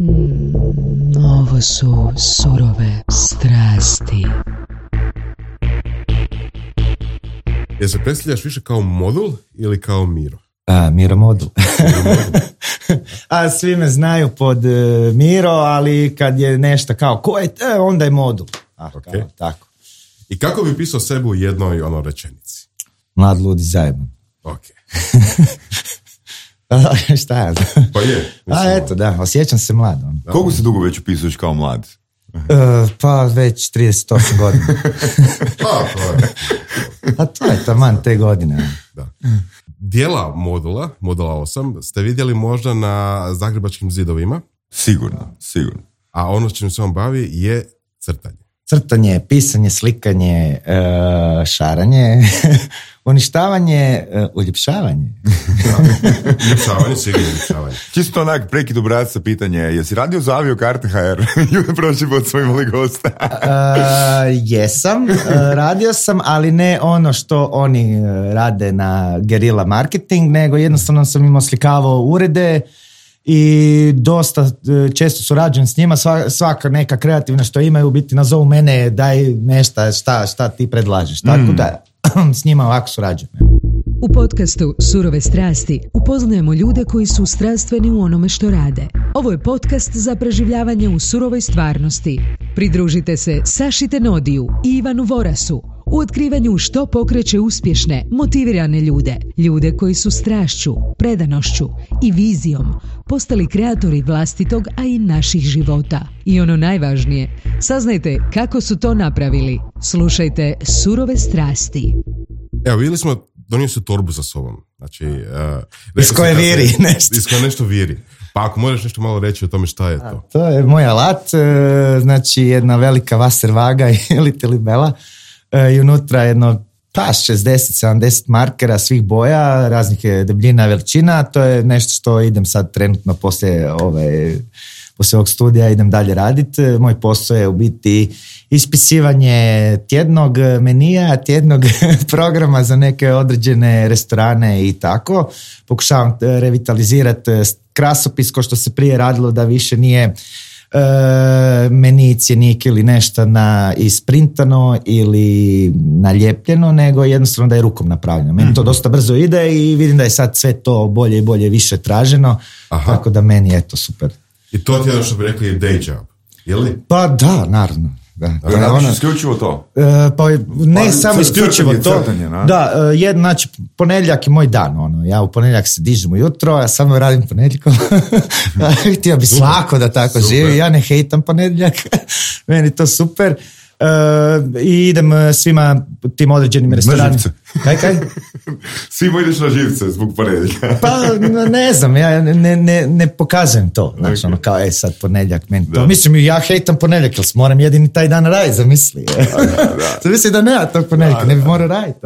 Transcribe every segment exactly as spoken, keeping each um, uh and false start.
Mm, ovo su surove strasti. Jel se predstavljaš više kao modul ili kao Miro? A, Miro modul. A svi me znaju pod uh, Miro, ali kad je nešto kao ko je, e, onda je modul. Ah, okay. Kao, tako. I kako bi pisao sebe u jednoj ono rečenici? Mlad, ludi, zajeban. Ok. Šta je? Pa je. A eto, da, osjećam se mlad. Da. Koliko se dugo već upisuješ kao mlad? Uh, pa već trideset osam godina. Pa, to je. A to je taman te godine. Da. Dijela modula, modula osam, ste vidjeli možda na zagrebačkim zidovima? Sigurno, sigurno. A ono s čim se on bavi je crtanje. Crtanje, pisanje, slikanje, uh, šaranje, uništavanje, uh, uljepšavanje. Uljepšavanje, sigurno uljepšavanje. Čisto onak prekid obrasca pitanje, jesi radio za aviokarte ha er? Ljude prošli pod svojim imali gosta. uh, jesam, uh, radio sam, ali ne ono što oni uh, rade na gerila marketing, nego jednostavno sam im oslikavao urede i dosta često surađujem s njima, svaka neka kreativna što imaju, biti nazovu mene, daj nešto, šta, šta ti predlažeš, tako mm. da s njima ovako surađujem. U podcastu Surove strasti upoznajemo ljude koji su strastveni u onome što rade. Ovo je podcast za preživljavanje u surovoj stvarnosti. Pridružite se Saši Tenodiju i Ivanu Vorasu u otkrivanju što pokreće uspješne, motivirane ljude. Ljude koji su strašću, predanošću i vizijom postali kreatori vlastitog, a i naših života. I ono najvažnije, saznajte kako su to napravili. Slušajte Surove strasti. Evo, vidjeli smo, donio se torbu sa sobom. Znači, uh, iz koje viri nešto. Iz koje nešto viri. Pa ako možeš nešto malo reći o tome šta je to? A, to je moj alat, znači jedna velika vaser vaga ili telibela i unutra jedno pa šezdeset sedamdeset markera svih boja, raznih je debljina, veličina. To je nešto što idem sad trenutno poslije ove, poslije ovog studija idem dalje raditi. Moj posao je u biti ispisivanje tjednog menija, tjednog programa za neke određene restorane i tako. Pokušavam revitalizirati krasopis ko što se prije radilo, da više nije e, meni, cjenik ili nešto na isprintano ili naljepljeno, nego jednostavno da je rukom napravljeno. Meni to dosta brzo ide i vidim da je sad sve to bolje i bolje više traženo. Aha. Tako da meni je to super. I to ti je ono što bi rekli day job, je li? Pa da, naravno. Da, da, da ono, isključivo to? Uh, pa ne pa, samo isključivo to. Crtanje, da, uh, jedan, znači, ponedjeljak je moj dan. Ono. Ja u ponedjeljak se dižem ujutro, ja samo radim ponedjeljkom. Htio bi svako da tako super. Živi. Ja ne hejtam ponedjeljak. Meni to super. Uh, I idem svima tim određenim restoranima. Kaj, kaj? Svima ideš na živce zbog ponedjeljka. Pa ne znam, ja ne, ne, ne pokazujem to. Znači, okay. ono kao, e sad ponedjeljak meni to. Da. Mislim, ja hejtam ponedjeljak, jer moram jedini taj dan raditi, zamisli. Da, da, da. Zamisli da nema tog ponedjeljka, ne bi morao raditi.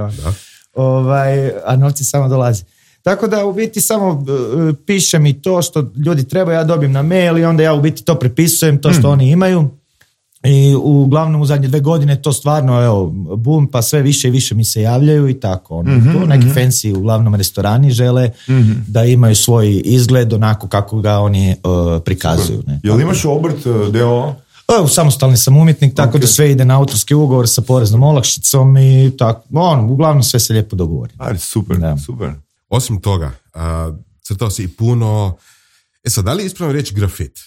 Ovaj, a novci samo dolazi. Tako da u biti samo uh, pišem i to što ljudi trebaju, ja dobijem na mail i onda ja u biti to prepisujem, to što mm. oni imaju. I uglavnom u zadnje dve godine to stvarno, evo, boom, pa sve više i više mi se javljaju i tako. Ono, mm-hmm, to neki mm-hmm. fancy uglavnom restorani žele mm-hmm. da imaju svoj izgled onako kako ga oni uh, prikazuju. Ne? Jel imaš obrt uh, D O O? Samostalni sam umjetnik, tako okay. da sve ide na autorski ugovor sa poreznom olakšicom i tako. On, uglavnom sve se lijepo dogovori. Ajde, super, da. super. Osim toga, uh, crtao si i puno... E sad, da li je ispravno reći grafit?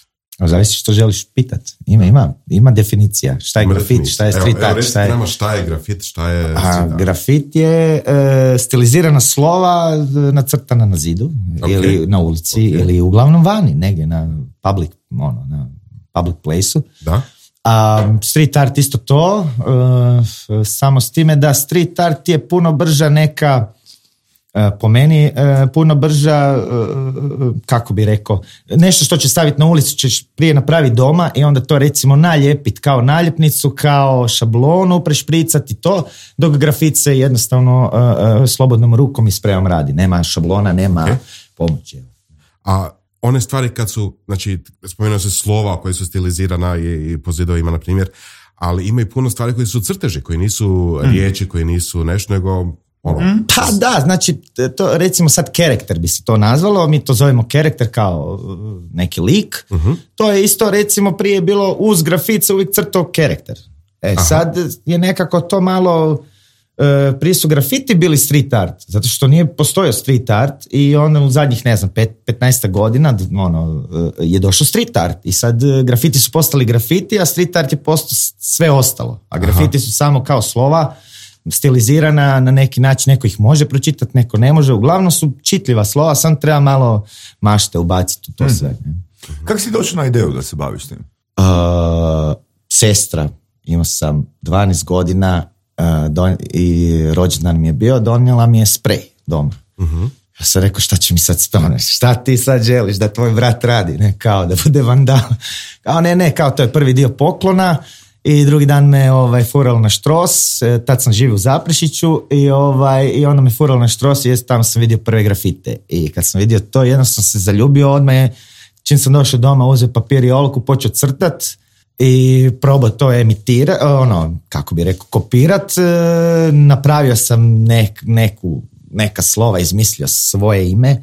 Zavisi što želiš pitati. Ima, ima, ima definicija. Šta je ima grafit, definicija. Šta je street evo, art. Evo, šta je... Nama šta je grafit, šta je... A, grafit je e, stilizirana slova nacrtana na zidu okay. ili na ulici okay. ili uglavnom vani, negdje na public, ono, na public place-u. Da. A street art isto to, e, samo s time da street art je puno brža neka... po meni puno brža, kako bi rekao, nešto što će staviti na ulicu ćeš prije napraviti doma i onda to recimo naljepiti kao naljepnicu, kao šablonu, prešpricati to, dok grafit se jednostavno slobodnom rukom i sprejom radi. Nema šablona, nema okay. pomoći. A one stvari kad su, znači, spomenuo se slova koje su stilizirana i, i po zidovima, na primjer, ali ima i puno stvari koje su crteži, koji nisu mm. riječi, koji nisu nešto, nego Ono, Pa da, znači, to, recimo sad karakter bi se to nazvalo, mi to zovemo karakter kao neki lik, uh-huh. To je isto recimo prije bilo uz grafit se uvijek crtao karakter. E Aha. Sad je nekako to malo, e, prije su grafiti bili street art, zato što nije postojao street art i onda u zadnjih, ne znam, pet, petnaest godina ono, je došao street art i sad grafiti su postali grafiti, a street art je postao sve ostalo, a grafiti Aha. su samo kao slova, stilizirana na neki način, neko ih može pročitati, neko ne može, uglavnom su čitljiva slova, sam treba malo mašte ubaciti u to sve. Hmm. Kako si došao na ideju da se baviš tim? Uh, sestra, imao sam dvanaest godina uh, don, i rođendan mi je bio, donijela mi je sprej doma. Uh-huh. Ja sam rekao, šta će mi sad spomneš? Šta ti sad želiš da tvoj brat radi? Ne, kao da bude vandal. Kao ne, ne, kao to je prvi dio poklona. I drugi dan me ovaj, furalo na Štros, tad sam živio u Zaprešiću i, ovaj, i onda me furalo na Štros i tamo sam vidio prve grafite. I kad sam vidio to, jedno sam se zaljubio, odmah je, čim sam došao doma, uzeo papir i olovku, počeo crtat i probao to emitirati, ono, kako bi rekao, kopirat. Napravio sam nek, neku, neka slova, izmislio svoje ime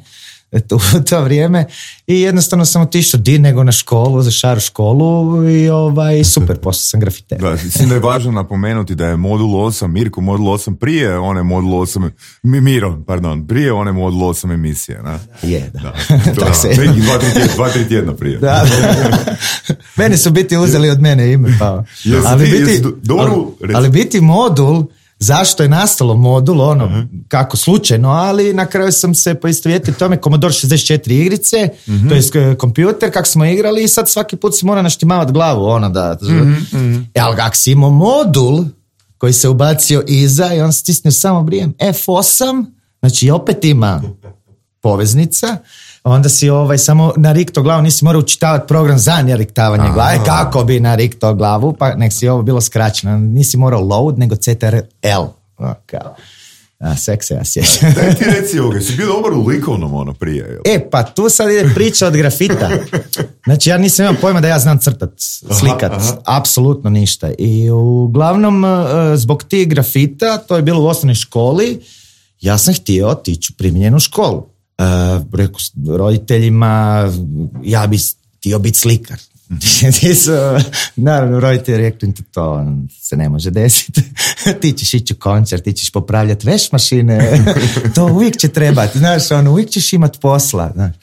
u to vrijeme i jednostavno sam otišao di nego na školu, za šaru školu i ovaj, super, postao sam grafiter. Da, mislim da je važno napomenuti da je Modul osam, Mirko Modul osam prije one Modul osam, Miro, pardon, prije one Modul osam emisije, ne? Je, da. da. To, da, se... Neki dva, tri tjedna, dva, tri tjedna prije. Da, da. Meni su biti uzeli od mene ime, pa. Jesi ali, ti, biti, jesi do, ali, ali biti modul, zašto je nastalo modul, ono, uh-huh. kako slučajno, ali na kraju sam se poistovjetio tome, Commodore šezdeset četiri igrice, uh-huh. to je kompjuter, kako smo igrali i sad svaki put si mora naštimavati glavu, ono da... Uh-huh. E, ali kako si imao modul koji se ubacio iza i on stisnio samo brijem F osam, znači opet ima poveznica, onda si ovaj, samo narikto glavu, nisi morao učitavati program za nariktavanje glave, kako bi narikto glavu, pa nek si ovo bilo skraćeno, nisi morao load, nego C T R L. O, kao. A, sek se ja sjećam. Daj ti reci ovoga, si bio dobar u likovnom ono prije. Jel? E, pa tu sad ide priča od grafita. Znači, ja nisam imao pojma da ja znam crtat, slikat, aha, aha. apsolutno ništa. I uglavnom, zbog tih grafita, to je bilo u osnovnoj školi, ja sam htio otići u primijenjenu školu. Uh, rekao roditeljima, ja bi htio biti slikar. Ti su, naravno, roditelji rekli, to se ne može desiti. Ti ćeš ići u koncert, ti ćeš popravljati veš mašine, to uvijek će trebati, znaš, ono, uvijek ćeš imati posla. Znaš.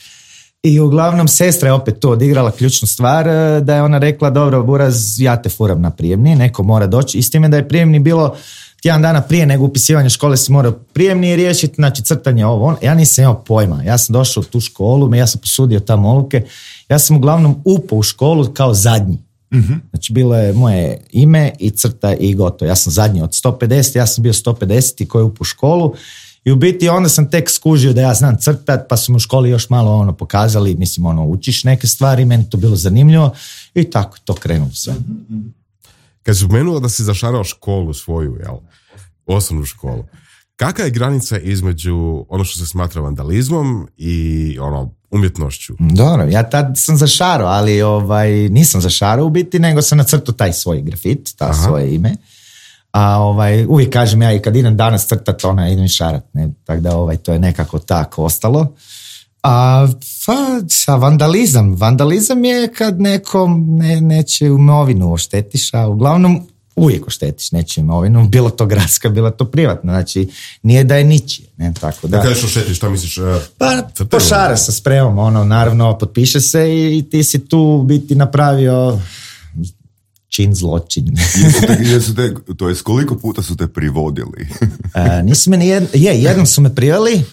I uglavnom sestra je opet to odigrala ključnu stvar, da je ona rekla, dobro, Buraz, ja te furam na prijemni, neko mora doći. I s time da je prijemni bilo tjedan dana prije nego upisivanje škole si morao prijemni riješiti, znači crtanje ovo, on. Ja nisam imao pojma, ja sam došao u tu školu, ja sam posudio tamo olovke, ja sam uglavnom upao u školu kao zadnji. Mm-hmm. Znači bilo je moje ime i crta i gotovo, ja sam zadnji od sto pedeset, ja sam bio sto pedeset koji je upao u školu i u biti onda sam tek skužio da ja znam crtat, pa su mu u školi još malo ono pokazali, mislim ono učiš neke stvari, meni to bilo zanimljivo i tako to krenulo sve. Mm-hmm. Kad si spomenula da si zašarao školu svoju, jel? Osnovnu školu. Kakva je granica između ono što se smatra vandalizmom i ono umjetnošću? Dobro, ja tad sam zašarao, ali ovaj, nisam zašarao u biti, nego sam nacrtao taj svoj grafit, ta Aha. svoje ime. A ovaj, uvijek kažem ja i kad idem danas crtat, ona idem šarat, ne? Tako da ovaj, to je nekako tako ostalo. A pa, a vandalizam. Vandalizam je kad nekom ne, neće imovinu oštetiš, a uglavnom uvijek oštetiš neće imovinu, bilo to gradska, bilo to privatno, znači nije da je ničije. Ne, tako da. Da kažeš oštetiš, šta misliš? Uh, pa pošara sa spremom, ono, naravno potpiše se i, i ti si tu biti napravio čin zločin. jesu te, jesu te, to jest koliko puta su te privodili? a, nisu me nijedno, je, jednom su me priveli,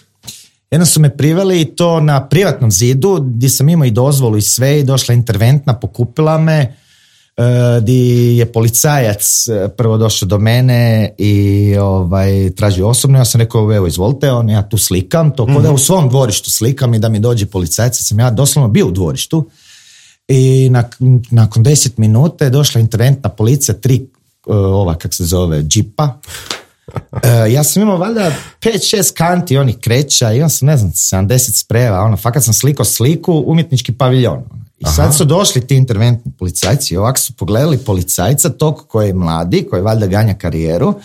Jednom su me priveli i to na privatnom zidu gdje sam imao i dozvolu i sve i došla interventna, pokupila me, gdje je policajac prvo došao do mene i ovaj, tražio osobno. Ja sam rekao, evo izvolite, on, ja tu slikam, to kod da u svom dvorištu slikam i da mi dođe policajac. Sam ja doslovno bio u dvorištu i nak, nakon deset minuta je došla interventna policija, tri ova, kak se zove, džipa. Uh, ja sam imao valjda pet šest kanti onih kreća, imam sam ne znam sedamdeset sprejeva, ono, fakat sam slikao sliku, umjetnički paviljon. Ono. I Aha. sad su došli ti interventni policajci, ovako su pogledali policajca, tog koji je mladi, koji valjda ganja karijeru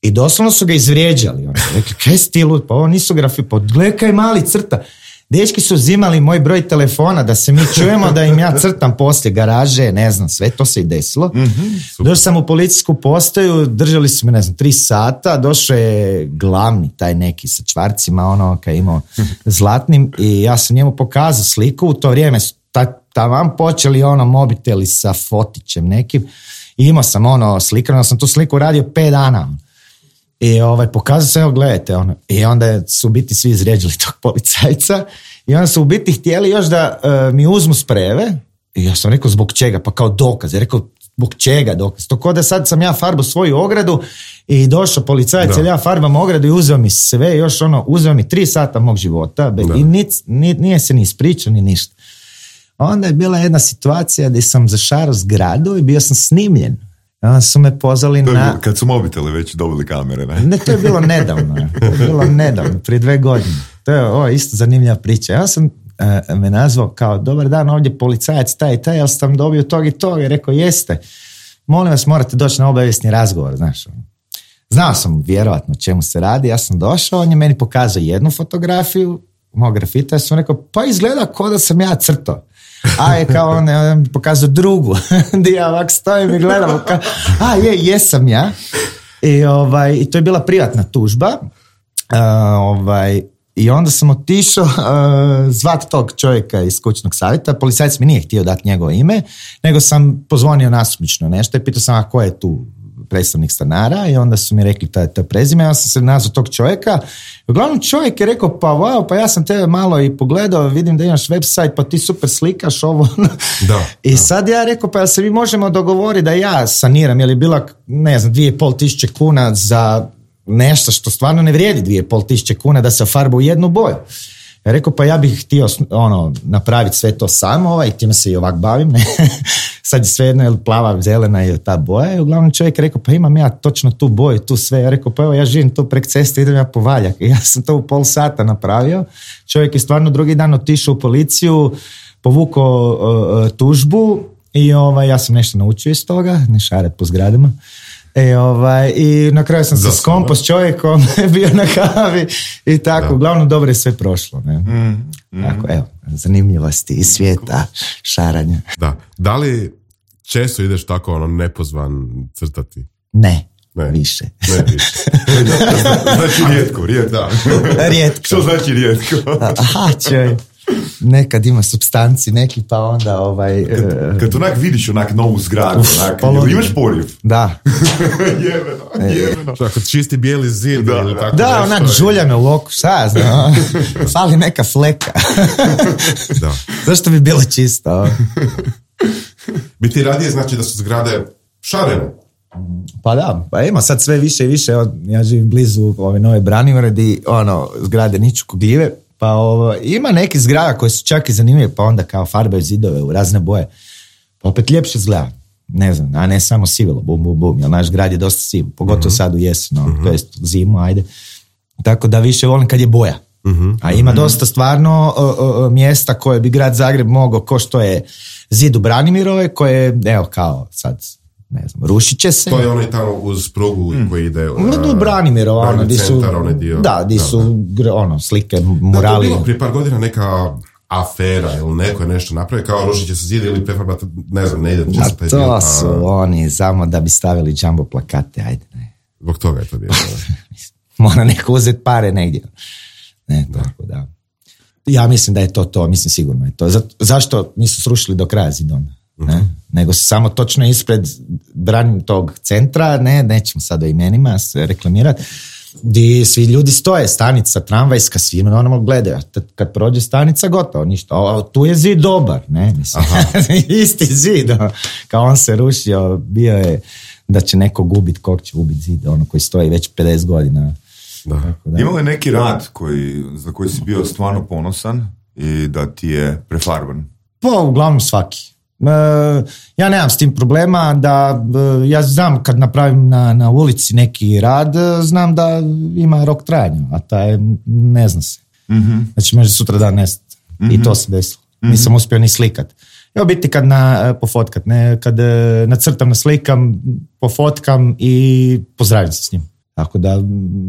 I doslovno su ga izvrijeđali. Ono. Rekli, kaj si ti lud? Pa ovo nisu grafi, pa gledaj mali crta. Dečki su uzimali moj broj telefona da se mi čujemo, da im ja crtam poslije garaže, ne znam, sve to se i desilo. Mm-hmm, došao sam u policijsku postaju, držali su me, ne znam, tri sata, došao je glavni, taj neki sa čvarcima, ono, kaj imao zlatnim, i ja sam njemu pokazao sliku, u to vrijeme su taman počeli ono mobiteli sa fotićem nekim, i imao sam ono slikano, sam tu sliku radio pet dana. I ovaj, pokazao se, evo gledajte, ono. I onda su u biti svi izrijeđali tog policajca i onda su u biti htjeli još da uh, mi uzmu sprejeve. I ja sam rekao, zbog čega? Pa kao dokaz. Ja rekao, zbog čega dokaz? To ko da sad sam ja farbu svoju ogradu i došao policajac, jer ja farbam ogradu i uzeo mi sve, još ono, uzeo mi tri sata mog života i nic, nije se ni ispričao ni ništa. Onda je bila jedna situacija gdje sam zašarao zgradu i bio sam snimljen. Onda su me pozvali na... Kad su mobiteli već dobili kamere, ne? Ne, to je bilo nedavno. To je bilo nedavno, prije dve godine. To je ovo, isto zanimljiva priča. Ja sam uh, me nazvao kao, dobar dan, ovdje policajac, taj i taj, jel sam dobio tog i tog? I rekao, jeste. Molim vas, morate doći na obavijesni razgovor, znaš. Znao sam vjerovatno o čemu se radi, ja sam došao, on je meni pokazao jednu fotografiju mog grafita, ja sam rekao, pa izgleda kao da sam ja crtao. A je kao on, on pokazao drugu, gdje ja ovak stojim i gledam, kao, a je, jesam ja. I, ovaj, i to je bila privatna tužba. Uh, ovaj, I onda sam otišao uh, zvat tog čovjeka iz kućnog savjeta. Policajac mi nije htio dati njegovo ime, nego sam pozvonio nasumično nešto i pitao sam, a ko je tu predstavnik stanara, i onda su mi rekli to je to prezime, ja sam se nazvao tog čovjeka. Uglavnom čovjek je rekao, pa wow, pa ja sam tebe malo i pogledao, vidim da imaš website, pa ti super slikaš ovo. Da, I da. Sad ja rekao, pa jel se mi možemo dogovoriti da ja saniram, jer je bila, ne znam, dvije i pol tisuće kuna za nešto što stvarno ne vrijedi dvije i pol tisuće kuna da se farba u jednu boju. Ja rekao, pa ja bih htio ono, napraviti sve to samo, ovaj, i time se i ovak bavim, ne? Sad je sve jedno, je plava, zelena je ta boja, i uglavnom čovjek je rekao, pa imam ja točno tu boju, tu sve. Ja rekao, pa evo, ja živim tu prek ceste, idem ja po valjak. I ja sam to u pol sata napravio. Čovjek je stvarno drugi dan otišao u policiju, povukao uh, tužbu, i ovaj, ja sam nešto naučio iz toga, ne šaret po zgradama. E, ovaj, i na kraju sam se skompo s čovjekom, bio na kavi i tako, da. Uglavnom dobro je sve prošlo. Ne? Mm, mm. Tako, evo, zanimljivosti iz svijeta, šaranja. Da, da li često ideš tako ono nepozvan crtati? Ne, ne. više. Ne, više. Znači rijetko, rijetko. Da. Rijetko. Što znači rijetko? Aha, čovjek. Nekad ima supstanci neki, pa onda ovaj... Kad, kad onak vidiš onak novu zgradu, onak, jel imaš porjev? Da. jebeno, jebeno. Tako čisti bijeli zid. Da, ili tako da onak žulja me u oku, šta znam, fali neka fleka. Da. Zašto bi bilo čisto? Bi ti radije znači da su zgrade šarene? Pa da, pa ima sad sve više i više, ja živim blizu ove nove Branimire, di ono, zgrade niču kogljive. Pa ovo, ima neki zgrada koji su čak i zanimljivi, pa onda kao farbaju zidove u razne boje. Pa opet ljepše izgleda, ne znam, a ne samo sivilo, bum, bum, bum, jer naš grad je dosta siv, pogotovo uh-huh. sad u jesen, no, uh-huh. to jest zimu, ajde. Tako da više volim kad je boja. Uh-huh. A ima uh-huh. dosta stvarno uh, uh, mjesta koje bi grad Zagreb mogao, ko što je zid u Branimirove, koje, evo kao sad... ne znam, rušit će se. To je onaj tamo uz prugu mm. koji ide... Uh, do Branimirova, ono, di su... Onaj dio. Da, di su, da. ono, slike, murali. Da, to je bilo prije par godina neka afera ili neko je nešto napravi, kao rušit će se zid ili prefarbati, ne znam, ne ide. A to dio, su a... oni, samo da bi stavili jumbo plakate, ajde, ne. Zbog toga je to bilo. Mora neko uzeti pare negdje. Ne, da. Tako da. Ja mislim da je to to, mislim sigurno je to. Za, zašto nisu srušili do kraja zidona? Ne? Uh-huh. Nego samo točno ispred branim tog centra, ne, nećemo sad o imenima se reklamirati, gdje svi ljudi stoje, stanica tramvajska, svi normalno gledaju, kad prođe stanica gotovo, ništa, o, tu je zid dobar, ne, mislim, isti zid, ono, kao on se rušio, bio je da će neko gubit, kog će ubiti zid, ono koji stoji već pedeset godina. Da. Da. Imao je neki rad koji, za koji si bio stvarno ponosan i da ti je prefarban? Pa, uglavnom svaki. Uh, ja nemam s tim problema da uh, ja znam kad napravim na, na ulici neki rad, uh, znam da ima rok trajanja, a taj ne zna se. Mm-hmm. Znači može sutra dan nestati. Mm-hmm. I to se desilo. Mm-hmm. Nisam uspio ni slikat. Ja biti kad na, pofotkat, ne, kad uh, nacrtam, naslikam, pofotkam i pozdravim se s njim. Tako da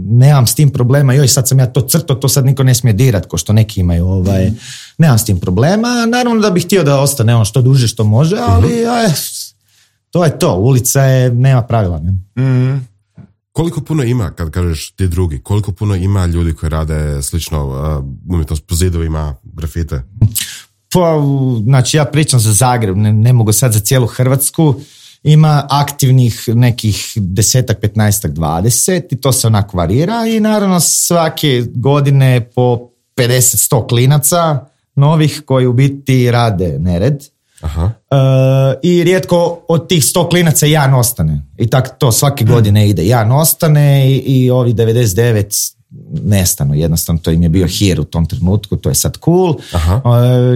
nemam s tim problema, joj sad sam ja to crto, to sad niko ne smije dirat, ko što neki imaju, ovaj, mm. nemam s tim problema, naravno da bih htio da ostane ono što duže što može, ali mm-hmm. aj, to je to, ulica je, nema pravila. Ne? Mm. Koliko puno ima, kad kažeš ti drugi, koliko puno ima ljudi koji rade slično uh, umjetnost po zidovima, grafite? Pa, znači ja pričam za Zagreb, ne, ne mogu sad za cijelu Hrvatsku, ima aktivnih nekih desetak, petnaestak, dvadeset i to se onako varira i naravno svake godine po pedeset, sto klinaca novih koji u biti rade nered. Aha. Uh, i rijetko od tih sto klinaca jedan ostane i tako to svake godine ide, jedan ostane i, i ovi devedeset devet nestanu, jednostavno to im je bio hir u tom trenutku, to je sad cool. Uh,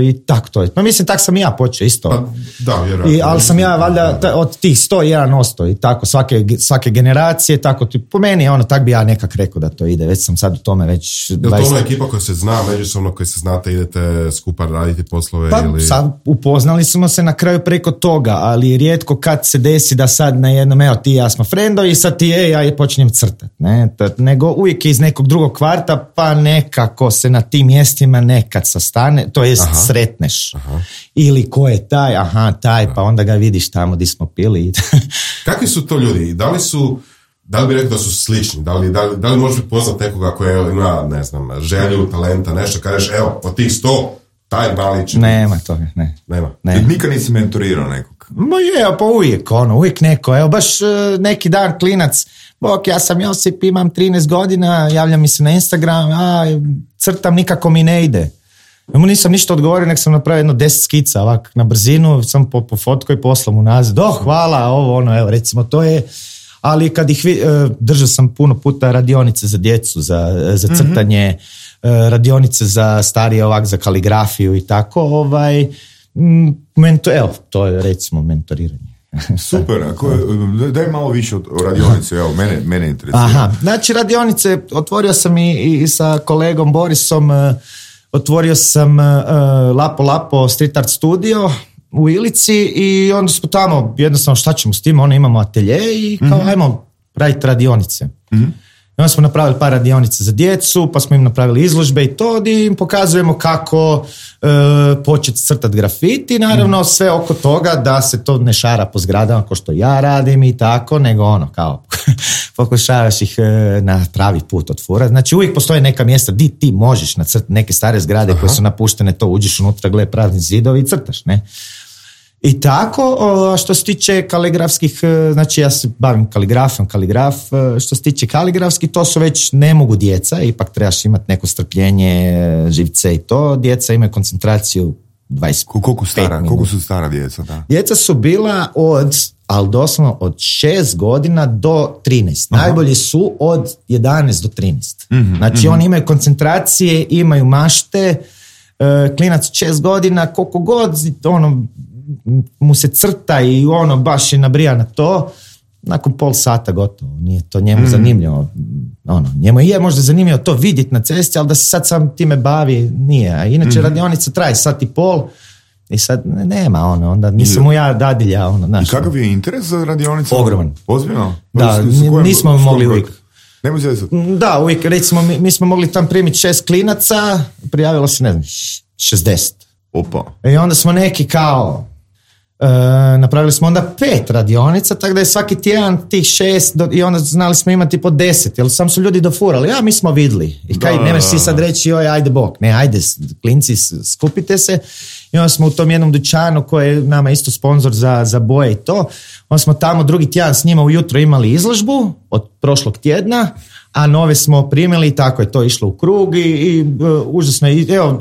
i tako to je. Pa mislim, tak sam i ja počeo isto. Pa, da, vjerojatno. I, ali sam ja valjda ta, od tih sto jedan osto i tako svake, svake generacije, tako ti, po meni ono, tak bi ja nekak rekao da to ide, već sam sad u tome već... Je li to ona ekipa koja se zna, međusobno koji se znate, idete skupa raditi poslove? Pa ili... sad upoznali smo se na kraju preko toga, ali rijetko kad se desi da sad na jednom, evo ti i ja smo frendovi i sad ti je, ja počinjem crtat, ne, nego uvijek iz nekog drugog kvarta, pa nekako se na tim mjestima nekad sastane, to jest aha. sretneš. Aha. Ili ko je taj, aha, taj, aha. pa onda ga vidiš tamo gdje smo pili. Kakvi su to ljudi? Da li su, da li bi rekao da su slični? Da li, da li, da li možeš poznat nekoga koja ima, ne znam, želju, talenta, nešto, kažeš, evo, od tih sto, taj mali će... Nema toga, ne. Nema. Ne. Nikad nisi mentorirao nekog? Ma je, pa uvijek, ono, uvijek neko. Evo, baš neki dan klinac, bok, ja sam Josip, imam trinaest godina, javlja mi se na Instagram, a crtam, nikako mi ne ide. Ja mu nisam ništa odgovorio, nek sam napravio jedno deset skica, ovak, na brzinu, sam po, po fotko i poslao mu nazad, oh, hvala, ovo, ono, evo, recimo, to je, ali kad ih, držao sam puno puta radionice za djecu, za, za crtanje, mm-hmm. radionice za starije, ovak, za kaligrafiju i tako, ovaj, mento, evo, to je, recimo, mentoriranje. Super, ako, daj malo više o radionici, evo, mene, mene interesuje. Aha, znači radionice, otvorio sam i, i sa kolegom Borisom, uh, otvorio sam uh, Lapo Lapo Street Art Studio u Ilici i onda smo tamo, jednostavno šta ćemo s tim, ono imamo atelje i kao mm-hmm. ajmo raditi radionice. Mm-hmm. I onda smo napravili par radionica za djecu, pa smo im napravili izložbe i to, gdje im pokazujemo kako e, početi crtati grafiti, naravno sve oko toga da se to ne šara po zgradama kao što ja radim i tako, nego ono kao pokušavaš ih e, na pravi put otvorati. Znači uvijek postoje neka mjesta gdje ti možeš nacrtati neke stare zgrade Aha. koje su napuštene, to uđeš unutra, gle prazni zidovi i crtaš, ne? I tako, što se tiče kaligrafskih, znači ja se bavim kaligrafijom, kaligraf, što se tiče kaligrafskih, to su već ne mogu djeca, ipak trebaš imati neko strpljenje, živce i to, djeca imaju koncentraciju dvadeset pet koliko stara, minuta. Koliko su stara djeca? Da? Djeca su bila od, ali doslovno od šest godina do trinaest. Aha. Najbolji su od jedanaest do trinaest. Mm-hmm, znači mm-hmm. oni imaju koncentracije, imaju mašte, klinac šest godina, koliko god, ono, mu se crta i ono baš je nabrija na to, nakon pol sata gotovo, nije to njemu mm. zanimljivo, ono, njemu je možda zanimljivo to vidjeti na cesti, ali da se sad sam time bavi, nije, a inače mm. radionica traje sat i pol i sad nema, ono, onda nisam mu ja dadilja, ono, znaš. I kakav je interes za radionicu? Ogroman. Ozbiljno? Da, nismo mogli uvijek. Nemoj se desati. Da, uvijek, recimo, mi, mi smo mogli tam primiti šest klinaca, prijavilo se, ne znam, šezdeset. Opa. I onda smo neki kao, e, napravili smo onda pet radionica, tako da je svaki tjedan tih šest do, i onda znali smo imati po deset, jer sam su ljudi dofurali, ja mi smo vidli. I kaj, nemaš si sad reći, joj, ajde bok, ne, ajde, klinci, skupite se. I onda smo u tom jednom dućanu koji je nama isto sponsor za, za boje i to, onda smo tamo drugi tjedan s njima ujutro imali izložbu od prošlog tjedna, a nove smo primili i tako je to išlo u krug i, i uh, užasno je. Evo,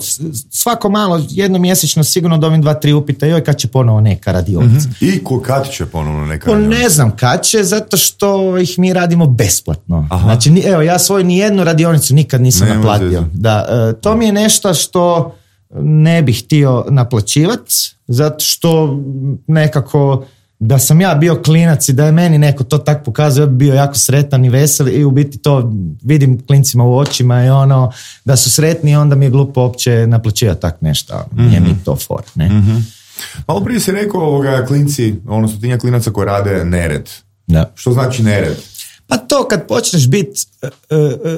svako malo, jednomjesečno sigurno dobim dva, tri upita, joj, kad će ponovo neka radionica. Mm-hmm. I ko, kad će ponovo neka radionica? Ne znam kad će, zato što ih mi radimo besplatno. Aha. Znači, evo, ja svoju nijednu radionicu nikad nisam ne, naplatio. Da, uh, to mi je nešto što ne bih htio naplaćivati, zato što nekako da sam ja bio klinac i da je meni neko to tak pokazuje, ja bi bio jako sretan i vesel i u biti to vidim klincima u očima i ono da su sretni i onda mi je glupo uopće naplaćivati tak nešto. Mm-hmm. Nije mi to for, ne? Mm-hmm. Malo prije si rekao ovoga klinci, ono stotinja klinaca koji rade nered. Da. Što znači nered? Pa to kad počneš biti uh,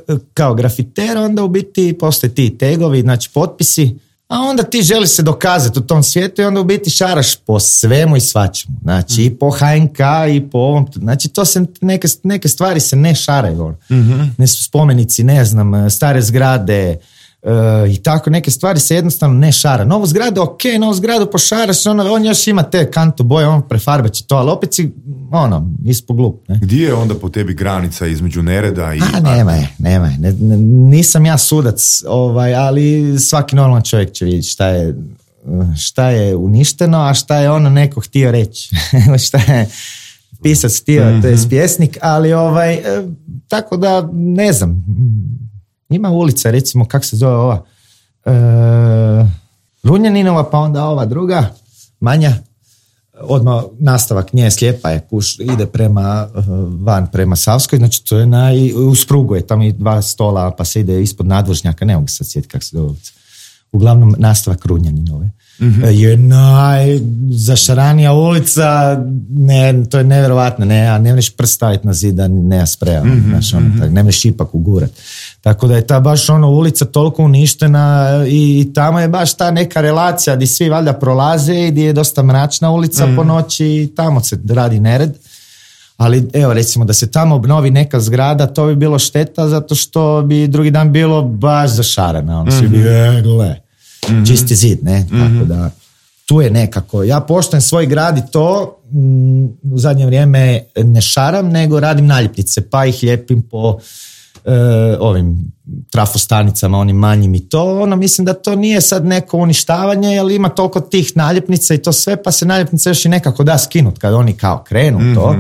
uh, kao grafiter, onda u biti postoje ti tegovi, znači potpisi, a onda ti želiš se dokazati u tom svijetu i onda u biti šaraš po svemu i svačemu. Znači mm. i po H N K i po ovom, znači to se, neke, neke stvari se ne šaraju. Mm-hmm. Ne su spomenici, ne znam, stare zgrade, Uh, i tako neke stvari se jednostavno ne šara. Novu zgradu, ok, novu zgradu pošaraš, ono, on još ima te kanto boje, on prefarbat će to, ali opet si, ono, ispo glup. Ne? Gdje je onda po tebi granica između nereda i... A, nema je, nema je. Ne, ne, nisam ja sudac, ovaj, ali svaki normalan čovjek će vidjeti šta je, šta je uništeno, a šta je ono neko htio reći. Šta je pisac htio, mm-hmm. to je pjesnik, ali ovaj, eh, tako da, ne znam, ima ulica, recimo, kak se zove ova? E, Runjaninova, pa onda ova druga, manja, odmah nastavak nje, slijepa je, kuš, ide prema van, prema Savskoj, znači to je na, u Sprugu je, tamo i dva stola, pa se ide ispod nadvožnjaka, ne mogu se sad sjetiti kak se zove ulica. Uglavnom, nastavak Runjaninove. Mm-hmm. Je najzašaranija ulica, ne, to je nevjerovatno, ne, ne možeš prst staviti na zid da nema spreja, mm-hmm. znaš, ono, tak, ne možeš ipak ugurat. Tako da je ta baš ono ulica toliko uništena i, i tamo je baš ta neka relacija gdje svi valjda prolaze i gdje je dosta mračna ulica mm-hmm. po noći i tamo se radi nered. Ali evo recimo da se tamo obnovi neka zgrada, to bi bilo šteta zato što bi drugi dan bilo baš zašarana, ono mm-hmm. svi bi, e, gle. Mm-hmm. Čisti zid, ne? Mm-hmm. Tako da, tu je nekako. Ja poštujem svoj grad i to m, u zadnje vrijeme ne šaram, nego radim naljepnice, pa ih lijepim po e, ovim trafostanicama, onim manjim i to. Ono, mislim da to nije sad neko uništavanje, jer ima toliko tih naljepnica i to sve, pa se naljepnice još i nekako da skinut kad oni kao krenu mm-hmm. to.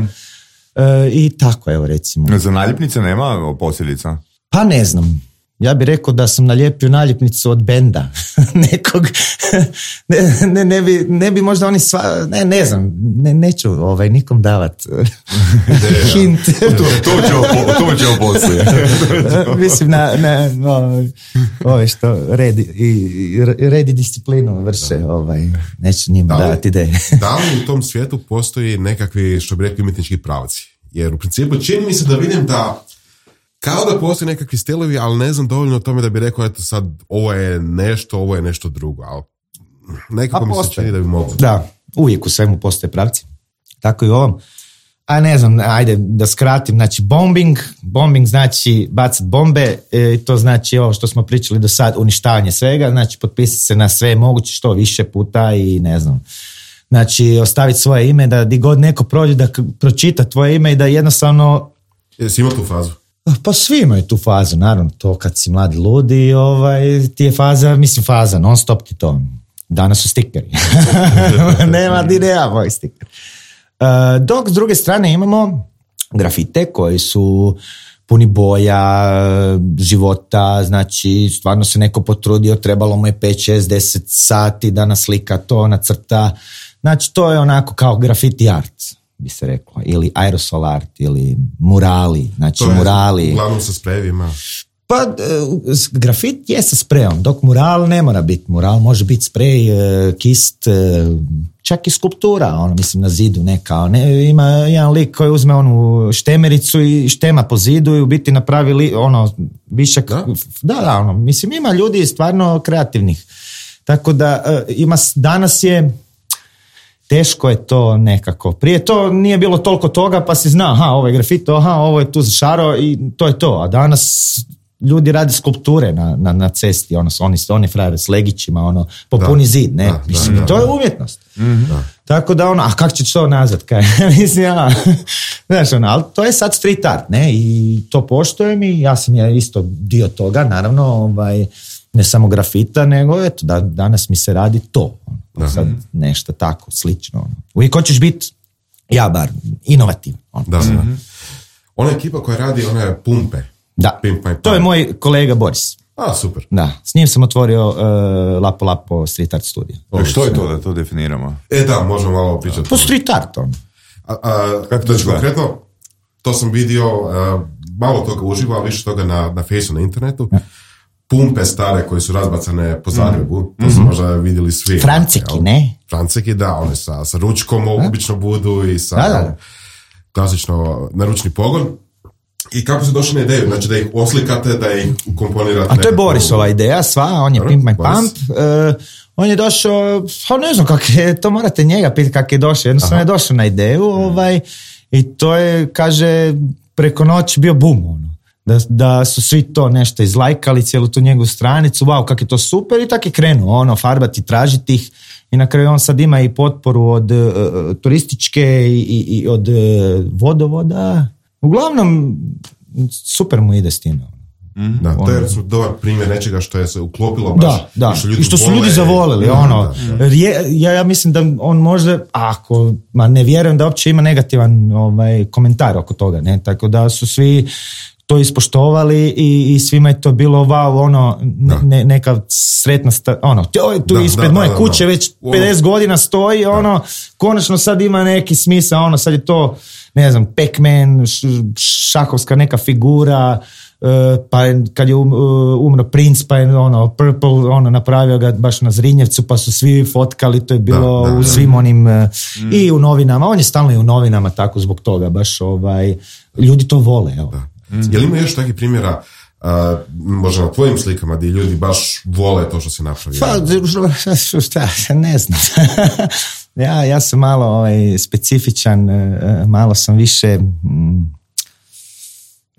E, I tako, evo recimo. Za naljepnice nema posljedica? Pa ne znam. Ja bih rekao da sam nalijepio naljepnicu od benda nekog, ne, ne, ne, bi, ne bi možda oni sva, ne, ne znam, ne, neću ovaj, nikom davat hint. to, to ćemo, to ćemo poslije. Mislim na, na ove, ove što redi, i, redi disciplinu vrše, ovaj, neću njima da davati ideje. Da li u tom svijetu postoji nekakvi, što bi rekli, umjetnički pravci? Jer u principu čini mi se da vidim da kao da postoji nekakvi stilovi, ali ne znam dovoljno o tome da bi rekao, eto sad, ovo je nešto, ovo je nešto drugo, ali nekako mi se čini da bi moglo. Da, uvijek u svemu postoje pravci. Tako i u ovom. A ne znam, ajde da skratim, znači bombing, bombing znači bacat bombe, e, to znači ovo što smo pričali do sad, uništavanje svega, znači potpisati se na sve moguće što više puta i ne znam. Znači ostaviti svoje ime, da di god neko prođe da pročita tvoje ime i da jednostavno... Jesi imao tu fazu? Pa svi imaju tu fazu, naravno, to kad si mladi ludi, ovaj, ti je faza, mislim faza, non stop ti to. Danas su stikeri. Nema di nema moj stiker. Uh, dok s druge strane imamo grafite koji su puni boja, života, znači stvarno se neko potrudio, trebalo mu je pet, šest, deset sati da naslika to, nacrta. Znači to je onako kao graffiti art, bi se reklo, ili aerosol art, ili murali, znači to je, murali. Uglavnom sa sprejevima. Pa grafit je sa sprejom, dok mural ne mora biti. Mural može biti sprej, kist, čak i skulptura, ono, mislim na zidu neka. Ne, ima jedan lik koji uzme onu štemericu i štema po zidu i u biti napravi li, ono, višak. Da? da, da, ono, mislim ima ljudi stvarno kreativnih. Tako da ima, danas je teško je to nekako. Prije to nije bilo toliko toga pa si zna, aha, ovo je grafito, aha, ovo je tu zašaro i to je to. A danas ljudi rade skulpture na, na, na cesti, ono, oni, oni frajere s legićima, ono, popuni da, zid, ne? Da, mislim, da, to je umjetnost. Mm-hmm. Da. Tako da, ono, a kako će to nazvat? Kaj? Mislim, ja, znaš, ono, ali to je sad street art, ne? I to poštujem i ja sam ja isto dio toga, naravno, ovaj, ne samo grafita, nego, eto, da, danas mi se radi to. Ono, sad nešto tako, slično. Ono. Uvijek hoćeš biti, ja bar, inovativno. Ono. Da, mm-hmm. Ona ekipa koja radi one pumpe. Da, to je moj kolega Boris. A, super. Da, s njim sam otvorio uh, Lapo Lapo Street Art Studio. O, što je to da to definiramo? E da, možemo malo pričati. Po street art, on. A, a, kako to konkretno, to sam vidio uh, malo toga uživo, ali više toga na, na Faceu, na internetu. Ja. Pumpe stare koje su razbacane po Zagrebu, mm. to mm-hmm. su možda vidjeli svi. Franciki, ne? Franciki, da, one sa, sa ručkom, a? Obično budu i sa da, da. klasično naručni pogon. I kako se došli na ideju? Znači da ih oslikate, da ih ukomponirate? A to je Borisova ideja, sva, on je Pimp My Pump. Uh, on je došao, pa ne znam kako je, to morate njega pitati kako je došao. Jednostavno je došao na ideju ovaj, i to je, kaže, preko noći bio bum, ono. Da, da su svi to nešto izlajkali, cijelu tu njegovu stranicu, wow, kako je to super, i tako je krenuo, ono, farbati, tražiti ih, i na kraju on sad ima i potporu od uh, turističke i, i, i od uh, vodovoda. Uglavnom, super mu ide s time. Mm. Da, to je dobar primjer nečega što je se uklopilo baš. Da, da. I što, ljudi I što su vole, ljudi zavolili. Da, ono, da, da. Rje, ja, ja mislim da on možda, ako, ma ne vjerujem da uopće ima negativan ovaj, komentar oko toga. Ne? Tako da su svi to ispoštovali i, i svima je to bilo wow, ono, ne, ne, neka sretna sta, ono, to, tu da, ispred da, moje da, da, kuće da. već pedeset godina stoji, da. Ono, konačno sad ima neki smisao, ono, sad je to, ne znam, Pac-Man, šahovska neka figura, uh, pa kad je um, umro Prince, pa je ono, Purple, ono, napravio ga baš na Zrinjevcu, pa su svi fotkali, to je bilo da, da, u svim da. onim, uh, mm. i u novinama, on je stalno i u novinama tako zbog toga, baš ovaj, ljudi to vole, evo. Da. Mm. Je li ima još takvih primjera, uh, možda na tvojim slikama, gdje ljudi baš vole to što si napravio? Pa, šta, ne znam. ja, ja sam malo ovaj, specifičan, malo sam više, mm,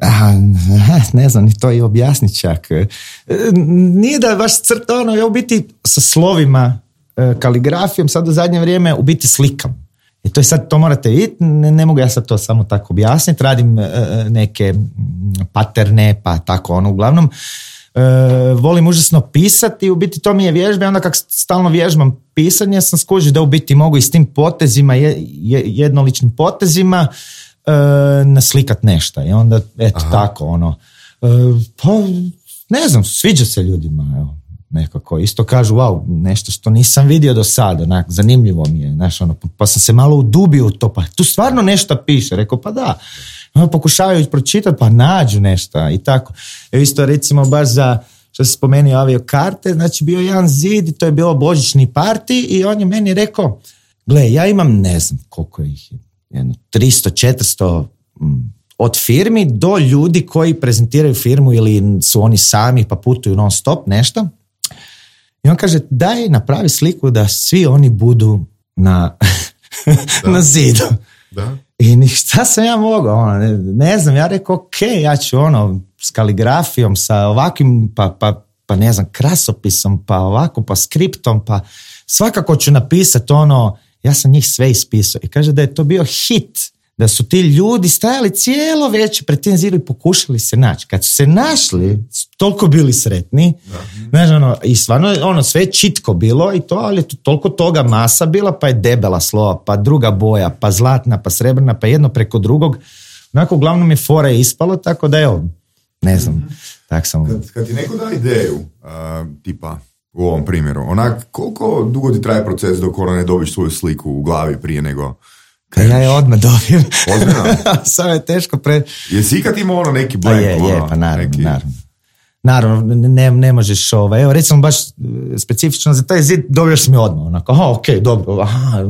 aha, ne znam, ni to i objasnit čak. Nije da baš crta, ono, ja u biti sa slovima, kaligrafijom, sad u zadnje vrijeme u biti slikam. I to je sad, to morate vidjeti, ne, ne mogu ja sad to samo tako objasniti, radim e, neke paterne, pa tako ono, uglavnom, e, volim užasno pisati i u biti to mi je vježba, onda kak stalno vježbam pisanje, sam skužio da u biti mogu i s tim potezima, je, je, jednoličnim potezima, e, naslikat nešto i onda, eto, aha, tako, ono, e, pa, ne znam, sviđa se ljudima, evo. Nekako, isto kažu, wow, nešto što nisam vidio do sada, onak, zanimljivo mi je, znaš, ono, pa sam se malo udubio u to, pa tu stvarno nešto piše, rekao, pa da, ono, pokušavaju pročitati, pa nađu nešto i tako. Evo isto, recimo, baš za, što se spomenuo aviokarte, znači bio jedan zid i to je bilo božićni parti i on je meni rekao, gle, ja imam, ne znam koliko ih je, jedno, tristo, četiristo mm, od firmi do ljudi koji prezentiraju firmu ili su oni sami pa putuju non stop, nešto. I on kaže, daj napravi sliku da svi oni budu na, na zidu. Da. I šta sam ja mogao? Ono, ne, ne znam, ja rekao, ok, ja ću ono, s kaligrafijom, sa ovakvim, pa, pa, pa ne znam, krasopisom, pa ovako, pa skriptom, pa svakako ću napisati ono, ja sam njih sve ispisao. I kaže da je to bio hit, da su ti ljudi stajali cijelo večer pred tim zidom i pokušali se naći. Kad su se našli, toliko bili sretni. Znaš, ono, i stvarno ono, sve čitko bilo i to, ali je toliko toga masa bila, pa je debela slova, pa druga boja, pa zlatna, pa srebrna, pa jedno preko drugog. Onako, uglavnom je fora je ispalo, tako da evo, ne znam, mm-hmm. tak sam... Kad, kad ti neko da ideju, uh, tipa u ovom primjeru, onak, koliko dugo ti traje proces dok ono ne dobiš svoju sliku u glavi prije nego... Ka ja je odmah dobijem. Ozbiljno? Samo je teško pre... Jesi ikad imao ono neki blank? Je, je, pa naravno, neki... naravno. Naravno, ne, ne možeš ovaj, evo recimo baš specifično za taj zid dobiješ mi odmah, onako, aha, ok, dobro, aha,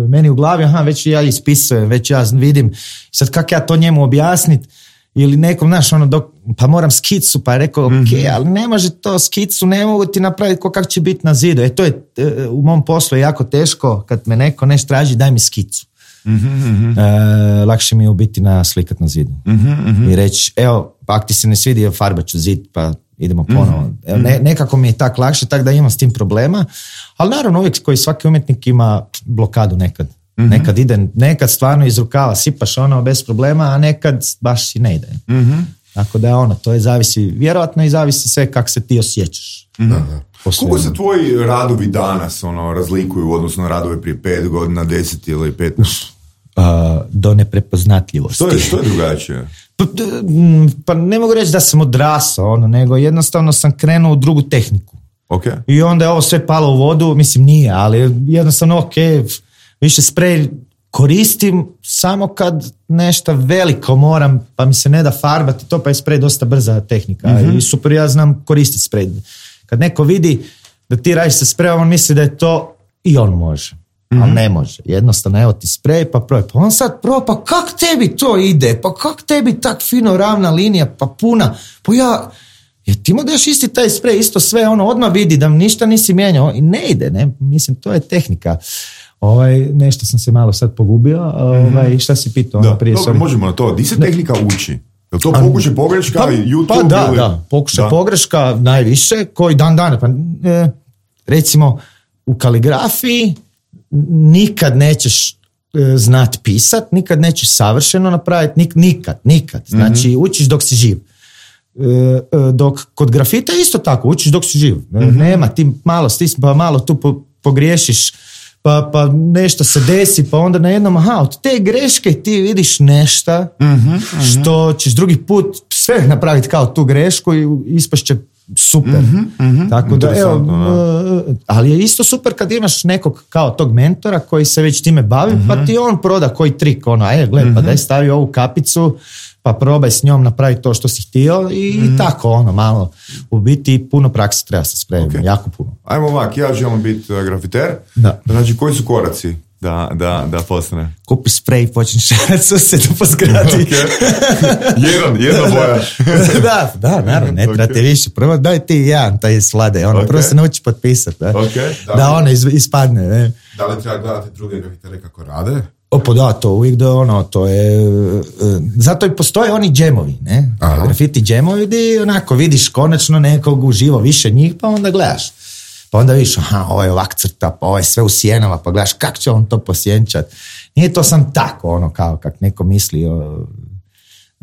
meni u glavi, aha, već ja ispisujem, već ja vidim, sad kako ja to njemu objasnit, ili nekom, znaš, ono, dok, pa moram skicu, pa je rekao, ok, mm-hmm. ali ne može to skicu, ne mogu ti napraviti ko kako će biti na zidu, e to je, u mom poslu je jako teško, kad me neko nešto traži, daj mi skicu. Mm-hmm. E, lakše mi je u biti na slikat na zidu mm-hmm. i reći, evo, pa ako ti se ne svidi, farbat ću zid, pa idemo ponovo. Mm-hmm. Evo, ne, nekako mi je tak lakše, tak da imam s tim problema, ali naravno uvijek koji svaki umjetnik ima blokadu nekad. Mm-hmm. Nekad ide, nekad stvarno iz rukava sipaš ono bez problema, a nekad baš i ne ide. Mm-hmm. Tako da ono, to je zavisi, vjerojatno i zavisi sve kako se ti osjećaš. Mm-hmm. Koliko se tvoji radovi danas ono, razlikuju u odnosu na radove prije pet godina, deset ili petnaest? Uh, do neprepoznatljivosti. Što je, što je drugačije? Pa, pa ne mogu reći da sam odrasao, ono, nego jednostavno sam krenuo u drugu tehniku. Okay. I onda je ovo sve palo u vodu, mislim nije, ali jednostavno ok, više sprej koristim samo kad nešto veliko moram, pa mi se ne da farbati to, pa je sprej dosta brza tehnika. Mm-hmm. I super, ja znam koristiti sprej. Kad neko vidi da ti radiš sa sprejom, on misli da je to i on može. mm-hmm. ali ne može. Jednostavno, evo ti sprej, pa probaj. Pa on sad proba, pa kak tebi to ide? Pa kak tebi tak fino ravna linija, pa puna? Pa ja, jer ti mu daš isti taj sprej, isto sve, ono, odmah vidi da ništa nisi mijenjao i ne ide, ne? Mislim, to je tehnika. Ovaj, nešto sam se malo sad pogubio, ovaj, šta si pitao? Da, ono prije dobro, možemo na to. Di se tehnika uči? Je to pokušaj pogreška, pa, YouTube? Pa da, ili... da, pokušaj pogreška najviše, koji dan dana. Pa, e, recimo, u kaligrafiji nikad nećeš e, znat pisat, nikad nećeš savršeno napraviti, nik, nikad, nikad. Znači, mm-hmm. učiš dok si živ. E, e, dok kod grafita isto tako, učiš dok si živ. Mm-hmm. Nema, ti malo stisni, pa malo tu po, pogriješiš, Pa, pa nešto se desi, pa onda na jednom, aha, od te greške ti vidiš nešto mm-hmm, što mm-hmm. ćeš drugi put sve napraviti kao tu grešku i ispašće super. Mm-hmm, mm-hmm. Tako da, evo, da. Ali je isto super kad imaš nekog kao tog mentora koji se već time bavi, mm-hmm. pa ti on proda koji trik, ono, e, gled, mm-hmm. pa daj stavi ovu kapicu, pa probaj s njom napraviti to što si htio i mm-hmm. tako, ono, malo. U biti puno prakse treba se spremiti, okay. jako puno. Ajmo ovak, ja želim biti uh, grafiter. Da. Znači, koji su koraci da, da, da postane? Kupi sprej i počni šarat susjedu po zgradi. Okay. Jedan, jedna boja. da, da, naravno, ne treba okay. ti više. Prvo daj ti jedan, taj slade, ono, okay. prvo se nauči potpisati. Da, okay. da, da ono iz, ispadne. Ne? Da li treba gledati druge grafitere kako rade? Opo, da, to uvijek da ono, to je, uh, zato i postoje oni džemovi, ne, aha. grafiti džemovi gdje onako vidiš konačno nekog uživo više njih, pa onda gledaš, pa onda vidiš, aha, ovo je ovak crta, pa ovo je sve u sjenama, pa gledaš kako će on to posjenčat, nije to sam tako, ono, kao kak neko misli, o,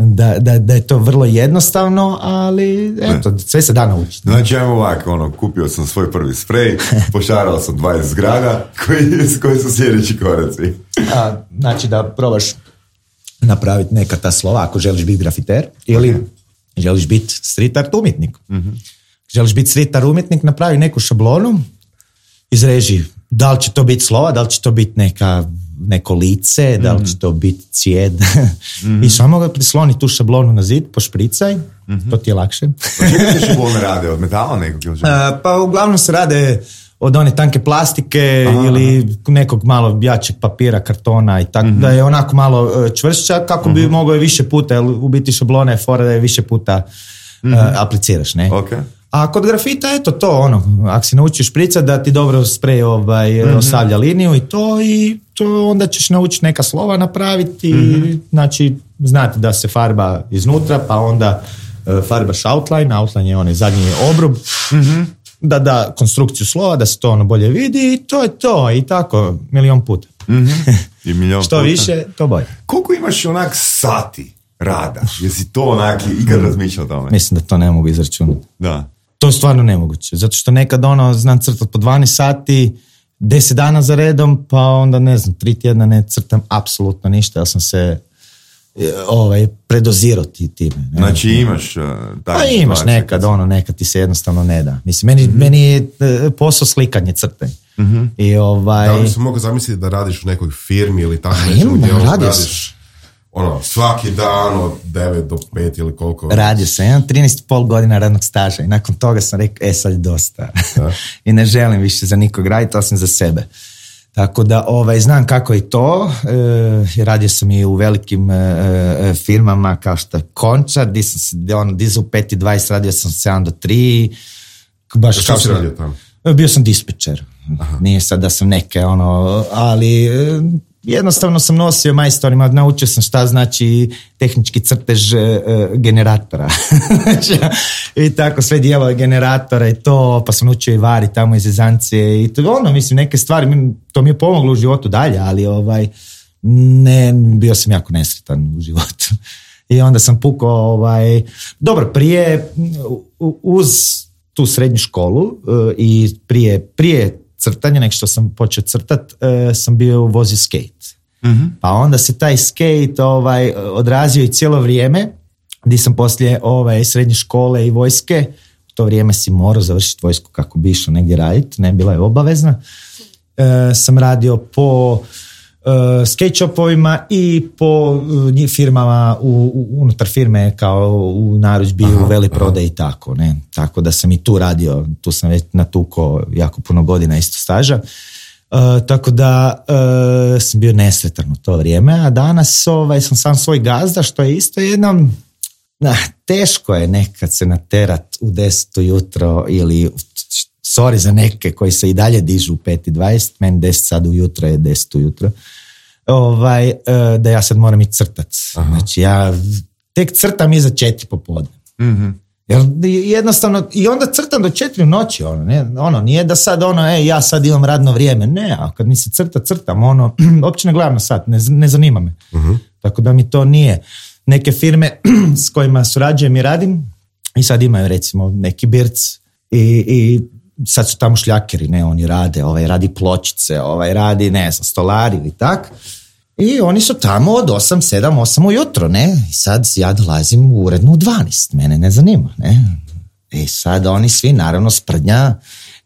da, da, da je to vrlo jednostavno, ali eto, ne. Sve se da naučiti. Znači, ajmo ovako, ono, kupio sam svoj prvi sprej, pošarao sam dvadeset zgrada, koji, koji su sljedeći koraci? A, znači da probaš napraviti neka ta slova ako želiš biti grafiter ili okay. želiš biti street art umjetnik. Mm-hmm. Želiš biti street art umjetnik, napravi neku šablonu, izreži da li će to biti slova, da li će to biti neka, neko lice, mm-hmm. da li će to biti cijed mm-hmm. i samo ga prisloni tu šablonu na zid, pošpricaj, mm-hmm. to ti je lakše. Pa čega se šablone rade? Od metala nekog? Ili A, pa uglavnom se rade od one tanke plastike aha, ili nekog malo jačeg papira, kartona i tako, mm-hmm. da je onako malo čvršća kako bi mm-hmm. mogao je više puta, jer u biti šablona je fora da je više puta mm-hmm. uh, apliciraš, ne? Okay. A kod grafita, eto to, ono, ako si naučiš špricat da ti dobro sprej ovaj, mm-hmm. ostavlja liniju i to, i to onda ćeš naučiti neka slova napraviti, mm-hmm. znači znati da se farba iznutra, pa onda uh, farbaš outline, outline je onaj zadnji obrub, mm-hmm. da da konstrukciju slova, da se to ono bolje vidi i to je to i tako milion puta. Mm-hmm. I milion što puta. više, to bolje. Koliko imaš onak sati rada? Jesi to onak ikad razmišljao o tome? Mislim da to ne mogu izračunati. Da. To je stvarno nemoguće, zato što nekad ono znam crtati po dvanaest sati, deset dana za redom, pa onda ne znam, tri tjedna ne crtam apsolutno ništa, ja sam se ovaj, predozirao ti time. Ne? Znači imaš uh, pa imaš nekad, ono, nekad ti se jednostavno ne da. Mislim, meni, mm-hmm. meni je posao slikanje, crtanje. Mm-hmm. I ovaj... Da li se mogu zamisliti da radiš u nekoj firmi ili tako nečemu gdje radiš ono, svaki dan od devet do pet ili koliko? Radio sam, imam trinaest i pol godina radnog staža i nakon toga sam rekao, e sad je dosta. I ne želim više za nikog raditi, osim za sebe. Tako da ovaj, znam kako je to, e, radio sam i u velikim e, firmama kao što je Končar, di sam se, ono, di u pet i dvadeset radio sam sedam do tri. Baš što si radio tamo? Bio sam dispečer. Aha. Nije sad da sam neke, ono, ali e, jednostavno sam nosio majstorima, naučio sam šta znači tehnički crtež e, generatora. I tako sve dijelove generatora i to, pa sam naučio i vari tamo iz Ezancije i to ono, mislim, neke stvari, to mi je pomoglo u životu dalje, ali ovaj, ne, bio sam jako nesretan u životu. I onda sam pukao, ovaj, dobro, prije, uz tu srednju školu i prije, prije crtanja, nek što sam počeo crtat, sam bio vozio skate. Mm-hmm. Pa onda se taj skate ovaj, odrazio i cijelo vrijeme, gdje sam poslije ovaj, srednje škole i vojske, u to vrijeme si morao završiti vojsku kako bi išao negdje raditi, ne bila je obavezna, e, sam radio po e, skate shopovima i po e, firmama, u, u, unutar firme kao u narudžbi, aha, u veleprodaji i tako, ne. Tako da sam i tu radio, tu sam već natukao jako puno godina isto staža. Uh, tako da uh, sam bio nesretan u to vrijeme, a danas ovaj, sam sam svoj gazda, što je isto jednom, na, teško je nekad se naterat u deset ujutro ili, sorry za neke koji se i dalje dižu u pet i dvadeset, meni deset sad ujutro je deset ujutro, ovaj, uh, da ja sad moram i crtat. Aha. Znači ja tek crtam iza četiri popodne. Mhm. Jer jednostavno, i onda crtam do četiri u noći, ono, ne, ono, nije da sad ono, ej, ja sad imam radno vrijeme, ne, a kad mi se crta, crtam, ono, uopće ne gledam na sat, ne, ne zanima me. Uh-huh. Tako da mi to nije. Neke firme s kojima surađujem i radim, i sad imaju recimo neki birc, i, i sad su tamo šljakeri, ne, oni rade, ovaj radi pločice, ovaj radi, ne znam, stolari ili tak. I oni su tamo od osam, sedam, osam ujutro, ne? I sad ja dolazim u urednu u dvanaest, mene ne zanima, ne? I sad oni svi, naravno, sprdnja,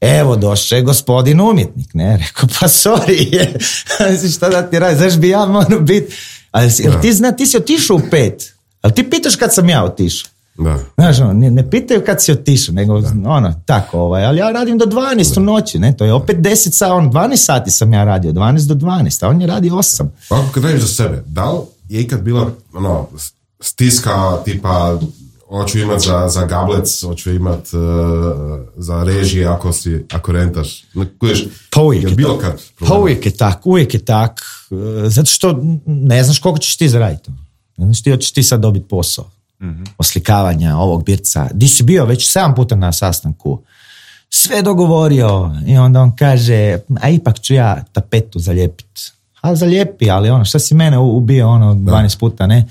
evo, došao je gospodin umjetnik, ne? Rekao, pa sorry, šta da ti radi, znaš bi ja moram biti, ali jel ti zna, ti si otišao u pet, ali ti pitaš kad sam ja otišao. Da. Znaš, ono, ne, ne pitaju kad si otišao, nego da. Ono, tako, ovaj, ali ja radim do dvanaest u noći, ne, to je opet deset sati, on, dvanaest sati sam ja radio, dvanaest do dvanaest, a on je radi osam. Pa kad radiš za sebe, da li je ikad bila ono, stiska tipa hoću imat za, za gablec, hoću imat uh, za režije ako, si, ako rentaš, kuješ, pa uvijek je bilo kad pa uvijek je tak, uvijek je tak, zato što ne znaš koliko ćeš ti zaraditi, ne znaš ti hoćeš ti sad dobiti posao. Mm-hmm. Oslikavanja ovog birca. Di si bio već sedam puta na sastanku, sve dogovorio i onda on kaže, a ipak ću ja tapetu zalijepiti. A zalijepi, ali ono, šta si mene ubio ono dvanaest puta, ne?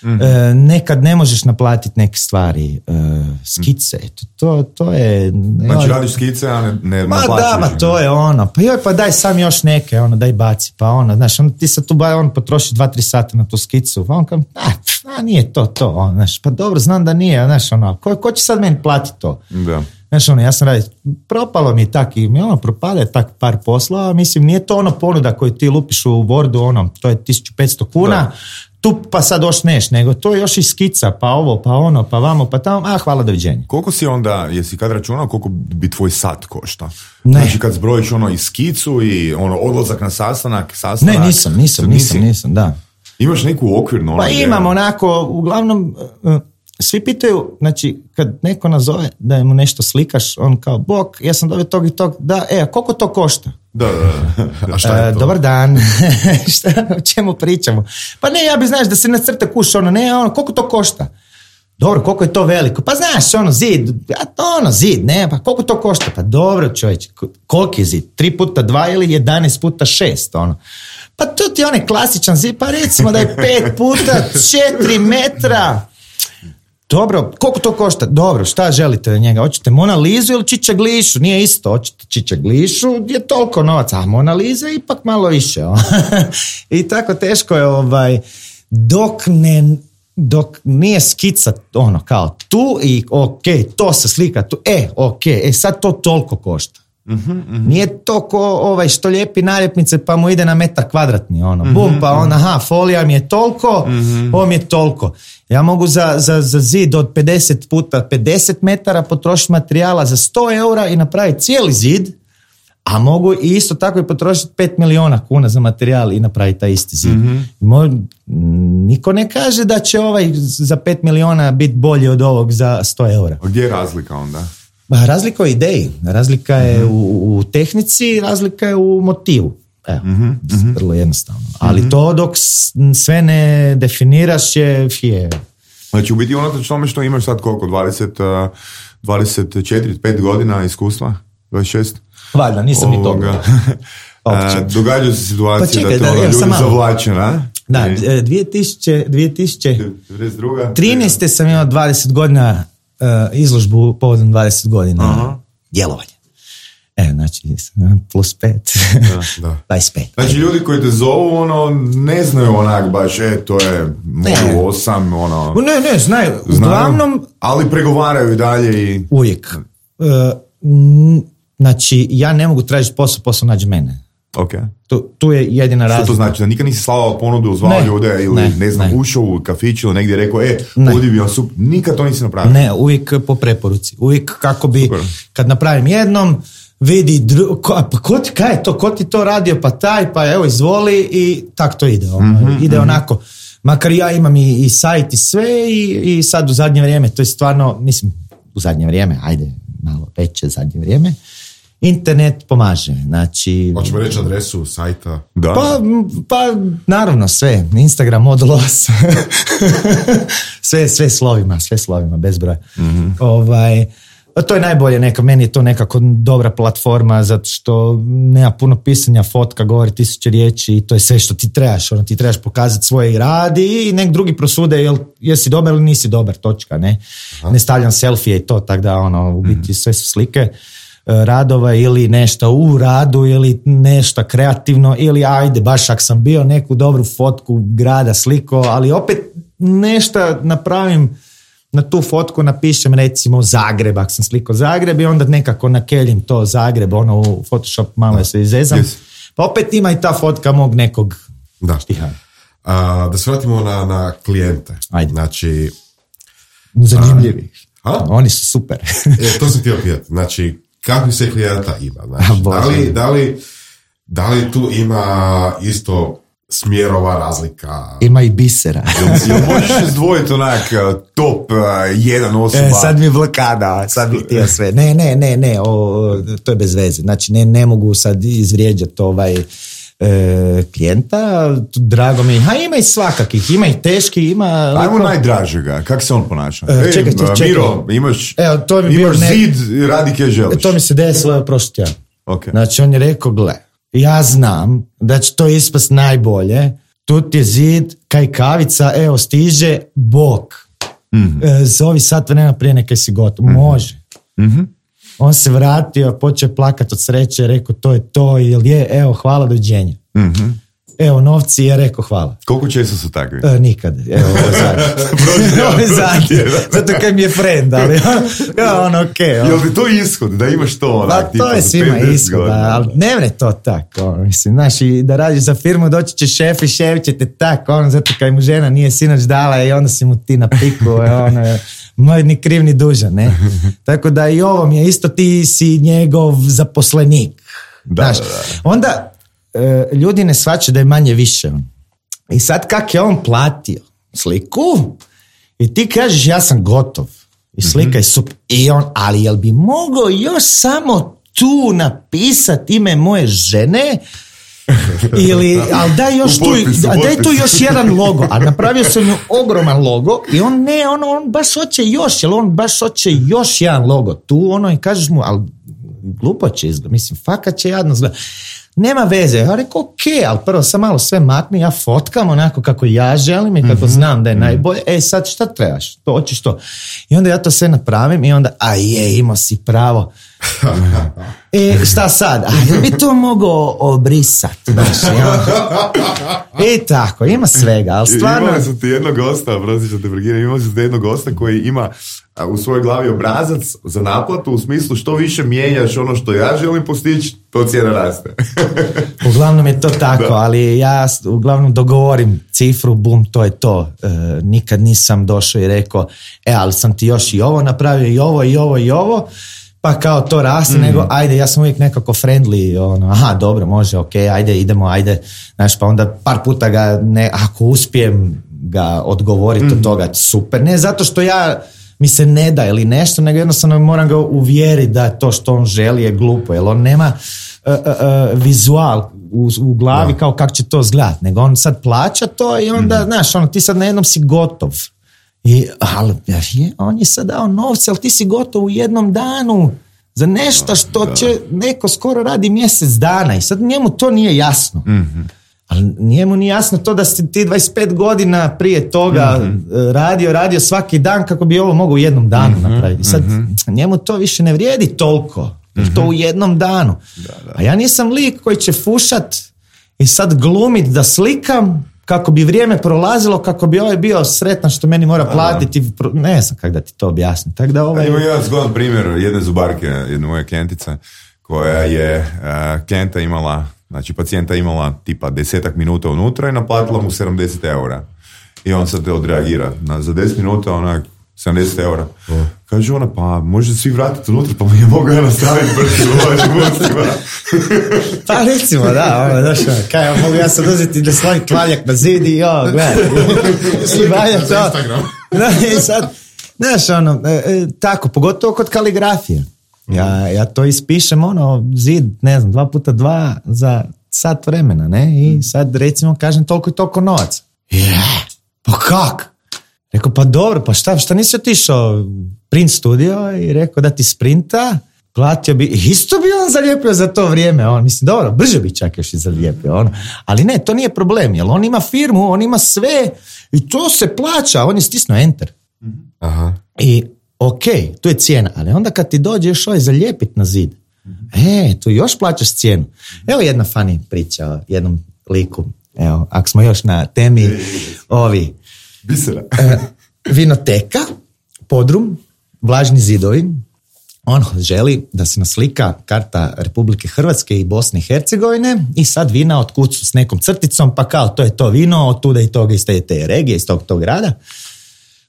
Mm-hmm. E, nekad ne možeš naplatiti neke stvari, e, skice, to, to, to je... Znači joj, radiš skice, a ne, ne ma naplaćuješ. Da, ma to je ono, pa joj, pa daj sam još neke, ono, daj baci, pa ono, znaš, on, ti sad tu ba, on potroši dva, tri sata na tu skicu, pa on kao, a, a nije to, to, on, znaš, pa dobro, znam da nije, znaš, ono, ko, ko će sad meni platiti to? Da. Znaš, ono, ja sam radi, propalo mi tak i mi ono, propade tak par poslova, mislim, nije to ono ponuda koju ti lupiš u Wordu, ono, to je tisuću petsto kuna, da. Tu pa sad ošneš, nego to je još i skica, pa ovo, pa ono, pa vamo, pa tamo, a hvala, doviđenja. Koliko si onda, jesi kad računao koliko bi tvoj sat košta? Ne. Znači kad zbrojiš ono i skicu i ono odlazak na sastanak, sastanak. Ne, nisam, nisam, nisam, nisam, da. Imaš neku okvirnu? Ono pa imam onako, uglavnom, uh, svi pitaju, znači, kad neko nazove da mu nešto slikaš, on kao, bok, ja sam dobio tog i tog, da, e, a koliko to košta? Da, da, a šta je to? Uh, dobar dan, šta, o čemu pričamo? Pa ne, ja bi, znaš, da se nacrta kuš, ono, ne, ono, koliko to košta? Dobro, koliko je to veliko? Pa znaš, ono, zid, ja, ono, zid, ne, pa koliko to košta? Pa dobro, čovječe, koliki je zid? Tri puta dva ili jedanaest puta šest, ono. Pa to ti je onaj klasičan zid, pa recimo da je pet puta četiri metra. Dobro, koliko to košta? Dobro, šta želite da njega? Hoćete Mona Lizu ili Čičaglišu? Nije isto, hoćete Čičaglišu, je toliko novaca, a Mona Liza ipak malo više. I tako teško je, ovaj, dok ne, dok nije skica, ono, kao tu i ok, to se slika tu, e, ok, e, sad to toliko košta. Mm-hmm, mm-hmm. Nije to ko ovaj što lijepi naljepnice pa mu ide na metar kvadratni, ono, mm-hmm, bum, pa on, aha, folija mi je toliko, mm-hmm. ovo mi je toliko. Ja mogu za, za, za zid od pedeset puta pedeset metara potrošiti materijala za sto eura i napraviti cijeli zid, a mogu i isto tako i potrošiti pet miliona kuna za materijal i napraviti taj isti zid. Mm-hmm. Mo, niko ne kaže da će ovaj za pet miliona biti bolji od ovog za sto eura. A gdje je razlika onda? Razlika je u ideji, razlika je mm-hmm. u, u tehnici, razlika je u motivu. Evo, mm-hmm. vrlo jednostavno. Ali mm-hmm. to dok sve ne definiraš je fije. Znači u biti unatoč tome što imaš sad koliko, dvadeset, dvadeset četiri, pet godina iskustva, dvadeset šest? Valjda, nisam ni toga. Događaju se situacije pa čekaj, da te da, ljudi zavlače, na? Da, dvije tisuće trinaeste I... sam imao dvadeset godina uh, izložbu povodom dvadeset godina uh-huh. djelovanja. E, znači, plus pet, da, da. dvadeset pet. Znači, ljudi koji te zovu, ono, ne znaju onak baš, e, to je modu osam, ono... Ne, ne, znaju. Uglavnom... Ali pregovaraju i dalje i... Uvijek. Uh, m, znači, ja ne mogu tražiti posao, posao nađe mene. Okay. Tu, tu je jedina razlika. Što to znači? Da nikad nisi slao ponudu, zvao ljude ili ne, ne znam, ne. ušao u kafić ili negdje rekao, e, ovdje bi on super. Nikad to nisi napravio? Ne, uvijek po preporuci. Uvijek kako bi, super. Kad napravim jednom, vidi, dru, ko, pa ko ti, kaj je to, ko ti to radio, pa taj, pa evo izvoli i tak to ide, ono, mm-hmm, ide mm-hmm. onako. Makar ja imam i, i sajt i sve i, i sad u zadnje vrijeme, to je stvarno, mislim, u zadnje vrijeme, ajde, malo veće zadnje vrijeme, internet pomaže, znači... Hoćemo reći adresu sajta? Da. Pa, pa naravno sve, Instagram, Modul osam, sve, sve slovima, sve slovima, bez broja. Mm-hmm. Ovaj, to je najbolje, neka, meni je to nekako dobra platforma, zato što nema puno pisanja, fotka, govori tisuće riječi i to je sve što ti trebaš, ono, ti trebaš pokazati svoje rad i nek drugi prosude jel, jesi dobar ili nisi dobar, točka, ne? Aha. Ne stavljam selfije i to, tako da, ono, u biti sve su slike radova ili nešto u radu ili nešto kreativno ili ajde, baš ako sam bio neku dobru fotku grada sliko, ali opet nešto napravim na tu fotku, napišem recimo Zagreb, ako sam sliko Zagreb i onda nekako nakeljim to Zagreb, ono u Photoshop malo se izezam, yes. Pa opet ima i ta fotka mog nekog da. Štiha. A, da se vratimo na, na klijente. Ajde. Znači... Zanimljivi. A? Oni su super. e, to sam htio pitati. Znači, kakvi se klijenta ima? Znači, da, li, da, li, da li tu ima isto smjerova razlika? Ima i bisera. Jel možeš izdvojiti onak top uh, jedan osoba? E, sad mi je blokada, sad bih htio sve. Ne, ne, ne, ne, o, to je bez veze. Znači, ne, ne mogu sad izvrijeđati ovaj e, klijenta. Drago mi, ha ima i svakakih, ima i teški, ima... Ajmo liko... najdražega, kako se on ponaša? E, čekaj, čekaj. Miro, imaš, Evo, to mi imaš ne... zid i radi kaj želiš. To mi se desilo prošli tjedan. Okay. Znači, on je rekao, gle, ja znam da će to ispast najbolje, tu ti je zid, kaj kavica, evo stiže, bok. Mm-hmm. E, zovi sat vremena prije nekaj si gotov. Mm-hmm. Može. Mm-hmm. On se vratio, počeo plakat od sreće, rekao to je to, ili je, evo, hvala, dođenja. Mm-hmm. Evo, novci, je rekao hvala. Koliko često su takvi? E, nikad. Evo, ovo je zadnje. Ovo je zadnje. Zato kaj mi je friend, ali ja, ono, okej. Okay, on. Jel ti to ishod, da imaš to onak? Pa to je svima ishod, ali ne vre to tako, ono, mislim, znaš, i da radiš za firmu, doći će šef i šef će te tako, ono, zato kaj mu žena nije sinoć dala i onda si mu ti na piku, ono, moj ni kriv ni dužan, ne? Tako da i ovo mi je isto, ti si njegov zaposlenik. Da, znaš, da, da. onda ljudi ne shvaćaju da je manje više. I sad kak je on platio sliku i ti kažeš ja sam gotov i slika mm-hmm. je super. I on, ali jel bi mogao još samo tu napisati ime moje žene ili, ali daj još tu, potpisu, daj tu još jedan logo, a napravio sam ju ogroman logo i on ne, on, on baš hoće još, jer on baš hoće još jedan logo tu, ono i kažeš mu, ali glupo će izgleda, mislim, fakat će jadno izgleda. Nema veze, ja rekao ok, ali prvo sam malo sve makni, ja fotkam onako kako ja želim i kako mm-hmm. znam da je najbolje, e sad šta trebaš, to hoćeš to. I onda ja to sve napravim i onda, a je, imao si pravo. E, šta sad? A jel bi to mogao obrisati? Znaš, ja. I tako, ima svega, ali stvarno... Imali su ti jednog gosta, prosim što te prekinem, imali su ti jednog gosta koji ima u svojoj glavi obrazac za naplatu u smislu što više mijenjaš ono što ja želim postići, to cijena raste. Uglavnom je to tako, da. Ali ja uglavnom dogovorim cifru, bum, to je to. E, nikad nisam došao i rekao, e, ali sam ti još i ovo napravio, i ovo, i ovo, i ovo, pa kao to raste, mm. nego ajde, ja sam uvijek nekako friendly, ono, aha, dobro, može, ok, ajde, idemo, ajde, znaš, pa onda par puta ga, ne, ako uspijem ga odgovoriti mm. od toga, super, ne zato što ja mi se ne da ili nešto, nego jednostavno moram ga uvjeriti da to što on želi je glupo, jer on nema uh, uh, uh, vizual u, u glavi no. kao kako će to izgledati, nego on sad plaća to i onda, mm. znaš, ono, ti sad na jednom si gotov. I, ali je, on je sad dao novce, ali ti si gotov u jednom danu za nešto što da. će neko skoro radi mjesec dana i sad njemu to nije jasno. Mm-hmm. Ali njemu nije jasno to da si ti dvadeset pet godina prije toga mm-hmm. radio, radio svaki dan kako bi ovo mogao u jednom danu mm-hmm. napraviti. I sad mm-hmm. njemu to više ne vrijedi toliko, mm-hmm. to u jednom danu. Da, da. A ja nisam lik koji će fušat i sad glumit da slikam kako bi vrijeme prolazilo, kako bi ovaj bio sretan što meni mora platiti. Ne znam kako da ti to objasnim. Tak da ovaj... Imam jedan zgodan primjer jedne zubarke, jedne moje klijentice, koja je uh, klijenta imala, znači pacijenta imala tipa desetak minuta unutra i naplatila mu sedamdeset eura. I on sad te odreagira. Na, za deset minuta onak sedamdeset eura. Kaže ona, pa može svi vratiti unutra, pa mi je mogu ja nastaviti brzi u vašim gostima. Pa recimo, da, ono, znaš, kaj, ja mogu ja sad uzeti da svoj tvaljak na zid i jo, gledaj, svi valja to. Da, i sad, znaš, ono, e, e, tako, pogotovo kod kaligrafije. Ja, ja to ispišem, ono, zid, ne znam, dva puta dva za sat vremena, ne, i sad, recimo, kažem toliko i toliko novaca. Je, pa kak? Rekao, pa dobro, pa šta, šta nisi otišao print studio i rekao da ti sprinta, platio bi, isto bi on zalijepio za to vrijeme, on, mislim, dobro, brže bi čak još i zalijepio, on, ali ne, to nije problem, jer on ima firmu, on ima sve i to se plaća, on je stisnuo enter. Aha. I ok, tu je cijena, ali onda kad ti dođe još ovaj zalijepit na zid, e, tu još plaćaš cijenu. Evo jedna funny priča o jednom liku, evo, ako smo još na temi, ovi, Bisera. e, vinoteka, podrum, vlažni zidovi, on želi da se naslika karta Republike Hrvatske i Bosne i Hercegovine i sad vina otkucu s nekom crticom, pa kao to je to vino, od tuda i toga iz te, te regije, iz tog, tog grada.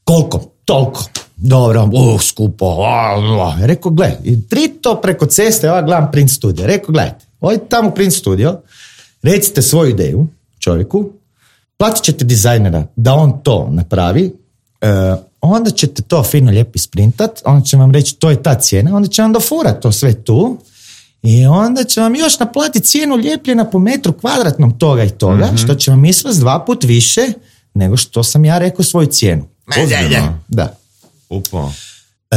Koliko? Toliko. Dobro, uh, skupo. Uh, rekao, gle, i tri to preko ceste, ja gledam print studio. Rekao, gledajte, odite tamo u print studio, recite svoju ideju čovjeku, platit ćete dizajnera da on to napravi, uh, onda ćete to fino lijepo isprintat, onda će vam reći to je ta cijena, onda će vam dofurat to sve tu i onda će vam još naplatiti cijenu lijepljena po metru kvadratnom toga i toga, mm-hmm. što će vam izvesti dva put više nego što sam ja rekao svoju cijenu. Ozbiljno? Da. Opa.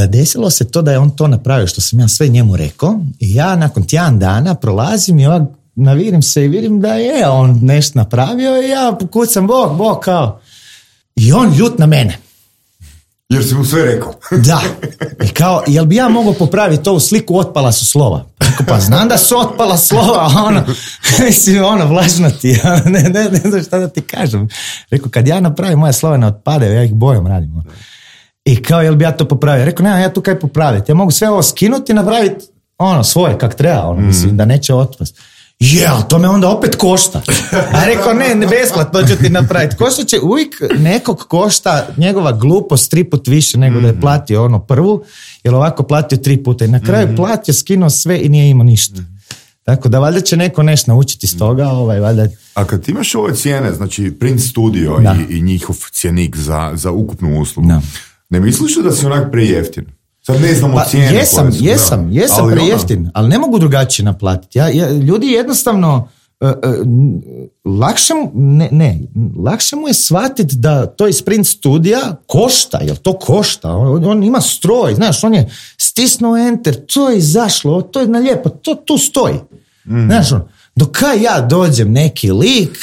Desilo se to da je on to napravio što sam ja sve njemu rekao i ja nakon tjedan dana prolazim i ovak navirim se i vidim da je on nešto napravio i ja kucam bok, bok kao i on ljut na mene. Jer si mu sve rekao. Da. I kao, jel bi ja mogao popraviti ovu sliku, otpala su slova. Rekao, pa znam da su otpala slova, ono, mislim, ono, vlažno ti, ne, ne, ne znam šta da ti kažem. Rekao, kad ja napravim, moje slova ne otpadaju, ja ih bojom radim. I kao, jel bi ja to popravio? Rekao, nema, ja tu kaj popraviti, ja mogu sve ovo skinuti i napraviti, ono, svoje, kak treba, ono, mislim, da neće otpast. Je, ali to me onda opet košta. A rekao, ne, ne besplatno ću ti napraviti. Košta će uvijek nekog košta njegova glupost tri put više nego mm-hmm. da je platio ono prvu, jer ovako platio tri puta i na kraju mm-hmm. platio, skinuo sve i nije imao ništa. Mm-hmm. Tako da valjda će neko nešto naučiti iz toga. Ovaj, valjda... A kad imaš ove cijene, znači print studio i, i njihov cjenik za, za ukupnu uslugu, da. Ne misliš da si onak prejeftin? Sad ne znamo pa, cijene. Jesam, su, jesam, da. jesam ali prejeftin, ona... ali ne mogu drugačije naplatiti. Ja, ja, ljudi jednostavno, uh, uh, lakše, mu, ne, ne, lakše mu je shvatiti da to iz print studija košta, jer to košta. On, on ima stroj, znaš, on je stisnuo enter, to je izašlo, to je na lijepo, to tu stoji. Mm. Znaš, on, dok ja dođem neki lik,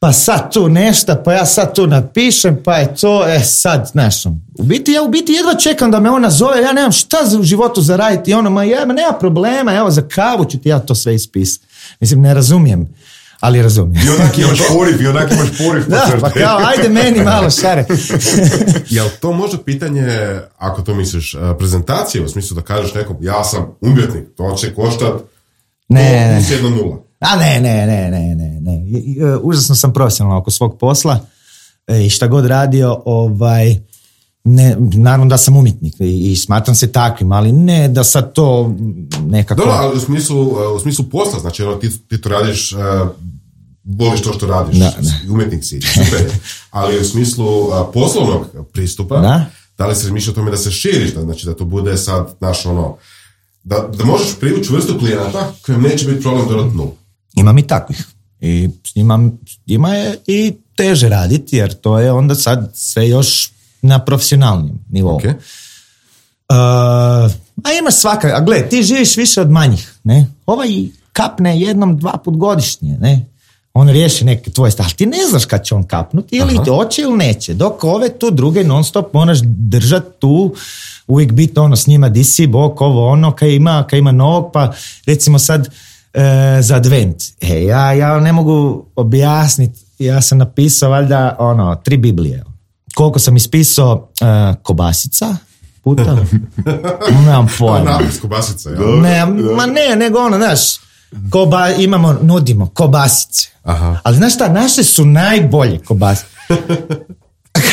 pa sad tu nešto, pa ja sad tu napišem, pa je to, e sad, znaš, u biti, ja u biti jedva čekam da me ona zove, ja nemam šta u životu zaraditi, i ono, ma ja, nema problema, evo, za kavu ću ti ja to sve ispisati. Mislim, ne razumijem, ali razumijem. I onak imaš poriv, i onak imaš poriv. Da, pa kao, ajde meni malo šare. Jel to možda pitanje, ako to misliš, prezentacije, u smislu da kažeš nekom, ja sam umjetnik, to će koštat ne, plus jedna nula. A ne, ne, ne, ne, ne, ne. Užasno sam profesionalan oko svog posla i šta god radio, ovaj, ne, naravno da sam umjetnik i, i smatram se takvim, ali ne da sad to nekako... Dobro, ali u smislu, u smislu posla, znači ti, ti to radiš, uh, voliš to što radiš, da, da. Umjetnik si, super, ali u smislu uh, poslovnog pristupa, da, da li se razmišlja o tome da se širiš, da, znači da to bude sad naš ono, da, da možeš privući vrstu klijenata kojem neće biti problem dodat nulu. Imam i takvih. I s njima, njima je i teže raditi, jer to je onda sad sve još na profesionalnijem nivou. Okay. Uh, a imaš svaka, a gle, ti živiš više od manjih, ne? Ovaj kapne jednom, dva put godišnje, ne? On riješi neke tvoje stvari, ali ti ne znaš kad će on kapnuti, ili Aha. hoće ili neće, dok ove tu druge non stop moraš držati tu, uvijek biti ono s njima, di si, bok, ovo ono, kaj ima, kaj ima novog, pa recimo sad e, za advent, e, ja, ja ne mogu objasniti, ja sam napisao valjda ono, tri Biblije, koliko sam ispisao e, kobasica, puta, nemam pojma. Napis kobasica, ja. Ne, ma ne, nego ono, znaš, koba, imamo, nudimo kobasice. Aha. Ali znaš šta, naše su najbolje kobasice.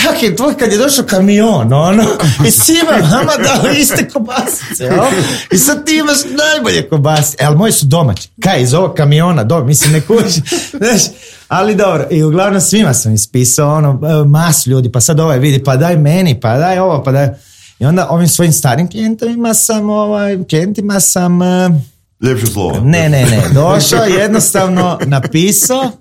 kak je tvoj kad je došao kamion, ono, i svima vama dao iste kobasice, o? I sad ti imaš najbolje kobasice, e, ali moji su domaći, kaj, iz ovog kamiona, do, mislim, ne kući, znaš, ali dobro, i uglavnom svima sam ispisao, ono, masu ljudi, pa sad ovaj vidi, pa daj meni, pa daj ovo, pa daj, i onda ovim svojim starim klijentima sam, ovaj, klijentima sam... Ljepše slovo. Ne, ne, ne, došao, jednostavno napisao,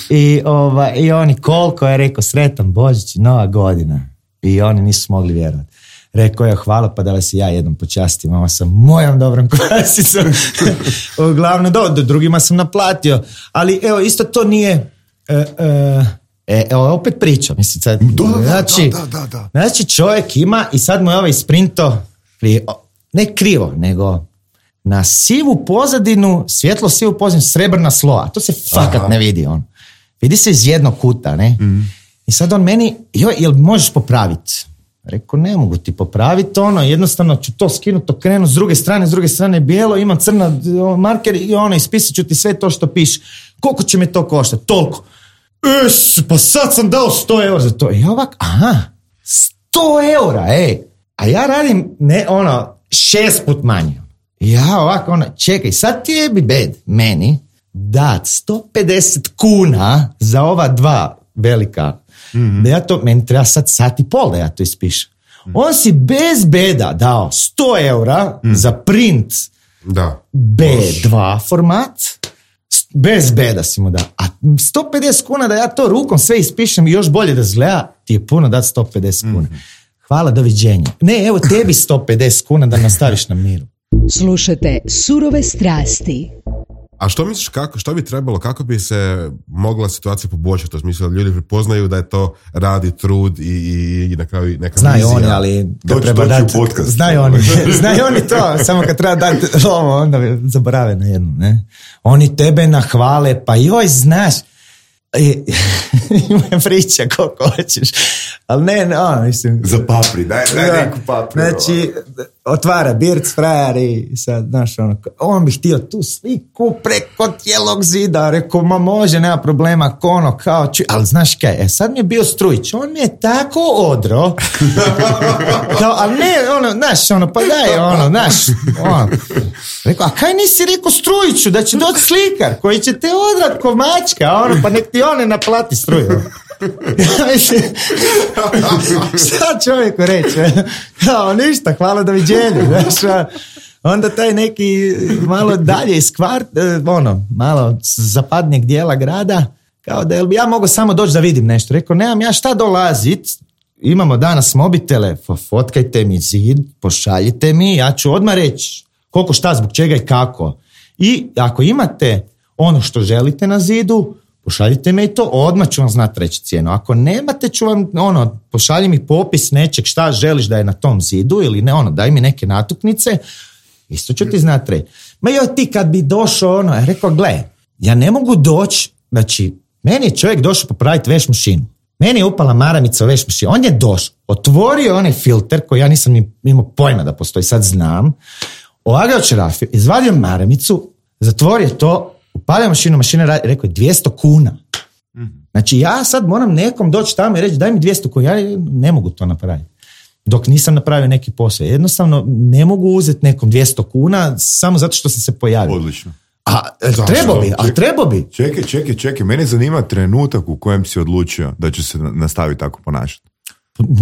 I, ova, i oni koliko je rekao sretan Božić, nova godina. I oni nisu mogli vjerovati. Rekao je hvala, pa da vas i ja jednom počastim, mama sam mojom dobrom kvasicom. Uglavnom, do, do drugima sam naplatio. Ali evo, isto to nije... E, e, e, evo, opet pričam. Mislim, sad, da, da, znači, da, da, da. znači, čovjek ima i sad mu je ovaj sprinto, ne krivo, nego... na sivu pozadinu, svjetlo sivu pozadinu, srebrna slova. To se fakat Aha. ne vidi. On. Vidi se iz jednog kuta. Ne? Mm. I sad on meni, joj, jel možeš popraviti? Rekao, ne mogu ti popraviti. Ono, jednostavno ću to skinuti, okrenu s druge strane, s druge strane bijelo, imam crna marker i ono, ispisat ću ti sve to što piše. Koliko će me to koštati? Toliko. Es, pa sad sam dao sto eura za to. I ovak, aha, sto eura, ej. A ja radim, ne, ono, šest put manje. Ja ovako, ona, čekaj, sad ti je bi bed meni dat sto pedeset kuna za ova dva velika, mm-hmm. da ja to, meni treba sad sat i pol da ja to ispišem. Mm-hmm. On si bez beda dao sto eura mm-hmm. za print da. be dva format, bez beda si mu dao. A sto pedeset kuna da ja to rukom sve ispišem i još bolje da zgleda, ti je puno dat sto pedeset kuna. Mm-hmm. Hvala, doviđenja. Ne, evo tebi sto pedeset kuna da nastaviš na miru. Slušajte Surove strasti. A što misliš, kako, što bi trebalo, kako bi se mogla situacija poboljšati? U smislu da ljudi prepoznaju da je to radi, trud i, i, i na kraju neka znaju vizija. Oni, ali kad doći, treba doći dati, znaju oni, znaju oni to, samo kad treba dati ovo, onda zaborave na jednu, ne? Oni tebe nahvale, pa joj, znaš, ima priča koliko hoćeš, ali ne, no, mislim... Za papri, daj, daj neku papri. Znači, otvara Birc frajer i sad, znaš, ono, on bi htio tu sliku preko cijelog zida, rekao, ma može, nema problema, ono, kao, ču... ali znaš kaj, e, sad mi je bio Strujić, on mi je tako odro, kao, ali ne, ono, znaš, ono, pa daj, ono, znaš, ono, rekao, a kaj nisi rekao Strujiću, da će doći slikar, koji će te odrat ko mačka, ono, pa nek ti one naplati struju. Šta čovjeku reći? Kao, ništa, hvala, doviđenja. Znaš, onda taj neki malo dalje iz kvart, ono, malo zapadnijeg dijela grada, kao da bi ja mogu samo doći da vidim nešto. Rekao, nemam ja šta dolazit, imamo danas mobitele, fotkajte mi zid, pošaljite mi, ja ću odmah reći koliko, šta, zbog čega i kako. I ako imate ono što želite na zidu, pošaljite me i to, odmah ću vam znati reći cijenu. Ako nemate, ću vam, ono, pošalji mi popis nečeg šta želiš da je na tom zidu ili ne, ono, daj mi neke natuknice, isto ću ti znati reći. Ma joj, ti kad bi došao, ono, ja rekao, gle, ja ne mogu doći, znači, meni je čovjek došao popraviti veš mašinu. Meni je upala maramica u veš mašinu. On je došao, otvorio onaj filter koji ja nisam imao pojma da postoji, sad znam, ovagao čerafiju, izvadio maramicu, zatvorio to, upalio mašinu, mašina radi, rekao je dvjesto kuna. Znači ja sad moram nekom doći tamo i reći daj mi dvjesto kuna, ja ne mogu to napraviti. Dok nisam napravio neki posao. Jednostavno ne mogu uzeti nekom dvjesto kuna samo zato što sam se pojavio. Odlično. A trebao bi, a trebao bi. Čekaj, čekaj, čekaj. Mene zanima trenutak u kojem si odlučio da će se nastaviti tako ponašati.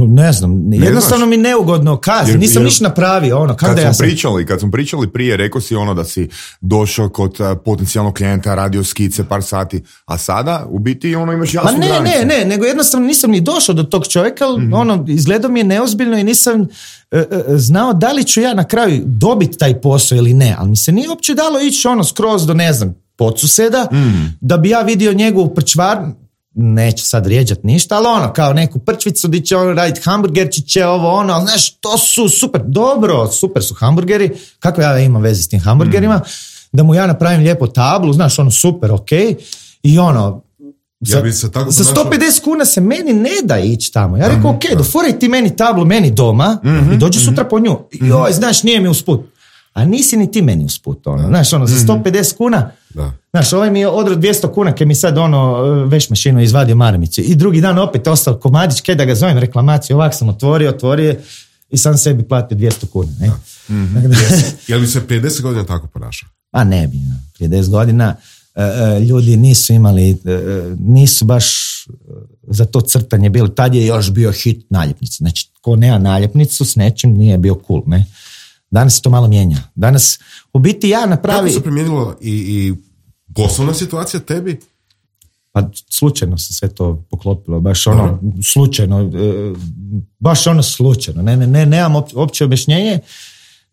Ne znam, jednostavno mi neugodno kazi, nisam ništa napravio, ono, kad da ja smo sam... pričali, kad smo pričali prije, rekao si ono da si došao kod uh, potencijalnog klijenta, radio skice par sati, a sada u biti ono imaš jasnu granicu. Ma ne, granicu. ne, ne, nego jednostavno nisam ni došao do tog čovjeka, mm-hmm. ono, izgledao mi je neozbiljno i nisam uh, uh, znao da li ću ja na kraju dobiti taj posao ili ne, ali mi se nije uopće dalo ići ono skroz do, ne znam, podsuseda, mm. da bi ja vidio njegovu prčvarnu, neće sad rijeđat ništa, ali ono, kao neku prčvicu gdje će ono raditi hamburgerčiće, ovo ono, ali znaš, to su super, dobro, super su hamburgeri, kako ja imam veze s tim hamburgerima, mm. da mu ja napravim lijepo tablu, znaš, ono, super, ok, i ono, za, ja se tako za sto pedeset kuna se meni ne da ići tamo. Ja rekao, ok, dofuraj ti meni tablu, meni doma, mm-hmm, i dođi sutra mm-hmm. po nju. I joj, znaš, nije mi usput. A nisi ni ti meni usput, ono, znaš, ono, za sto pedeset kuna, Da. Znaš, ovaj mi je odro dvjesto kuna, kaj mi sad ono veš mašinu izvadio maramice. I drugi dan opet ostao komadić, kaj da ga zovem reklamaciju, ovak sam otvorio, otvorio i sam sebi platio dvjesto kuna. Ne? Mm-hmm. Jel bi se prije deset godina tako ponašao? A ne bi, prije deset godina uh, uh, ljudi nisu imali, uh, nisu baš za to crtanje bili. Tad je još bio hit naljepnica. Znači, ko nema naljepnicu s nečim nije bio cool, ne? Danas se to malo mijenja. Danas, u biti ja napravi... Kako se promijenilo i, i poslovna situacija tebi? Pa slučajno se sve to poklopilo, baš ono, Aha. slučajno, e, baš ono slučajno, ne, ne, ne, nemam opće objašnjenje,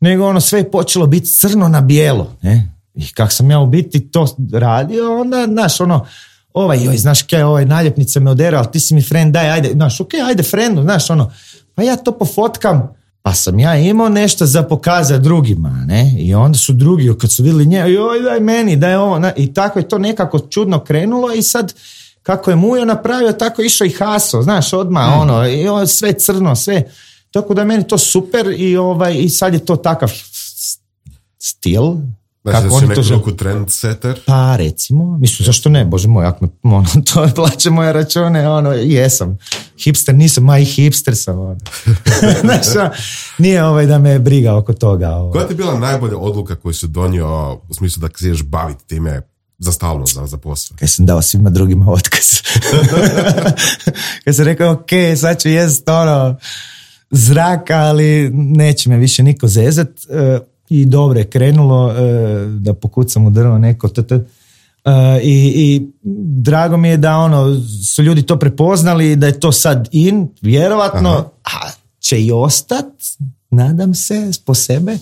nego ono sve je počelo biti crno na bijelo, ne? I kak sam ja u biti to radio, onda, znaš, ono, ovaj, joj, znaš kaj, ovaj naljepnica me odera, ali ti si mi friend, daj, ajde, znaš, ok, ajde friendu, znaš, ono, pa ja to pofotkam, pa sam ja imao nešto za pokazati drugima, ne, i onda su drugi, kad su vidjeli nje, joj, daj meni, daj ovo, ne? I tako je to nekako čudno krenulo i sad, kako je Mujo napravio, tako je išao i Haso, znaš, odmah, mm. ono, i ovo, sve crno, sve, tako da je meni to super i, ovaj, i sad je to takav stil. Znači da si neku žel... trendsetter? Pa recimo, mislim, zašto ne, bože moj, ako me ono, to plaće moje račune, ono, jesam. Hipster nisam, ma i hipster sam, ono. Znači, nije ovaj da me briga oko toga. Ovaj. Koja ti je bila najbolja odluka koju si donio u smislu da se ješ baviti time za stalno, za, za posao? Kad sam dao svima drugima otkaz. Kad sam rekao, ok, sad ću jest ono zraka, ali neće me više niko zezat. I dobro je krenulo, da pokucam u drvo neko tt. I, i drago mi je da ono su ljudi to prepoznali, da je to sad in, vjerovatno, a će i ostat, nadam se, po sebe,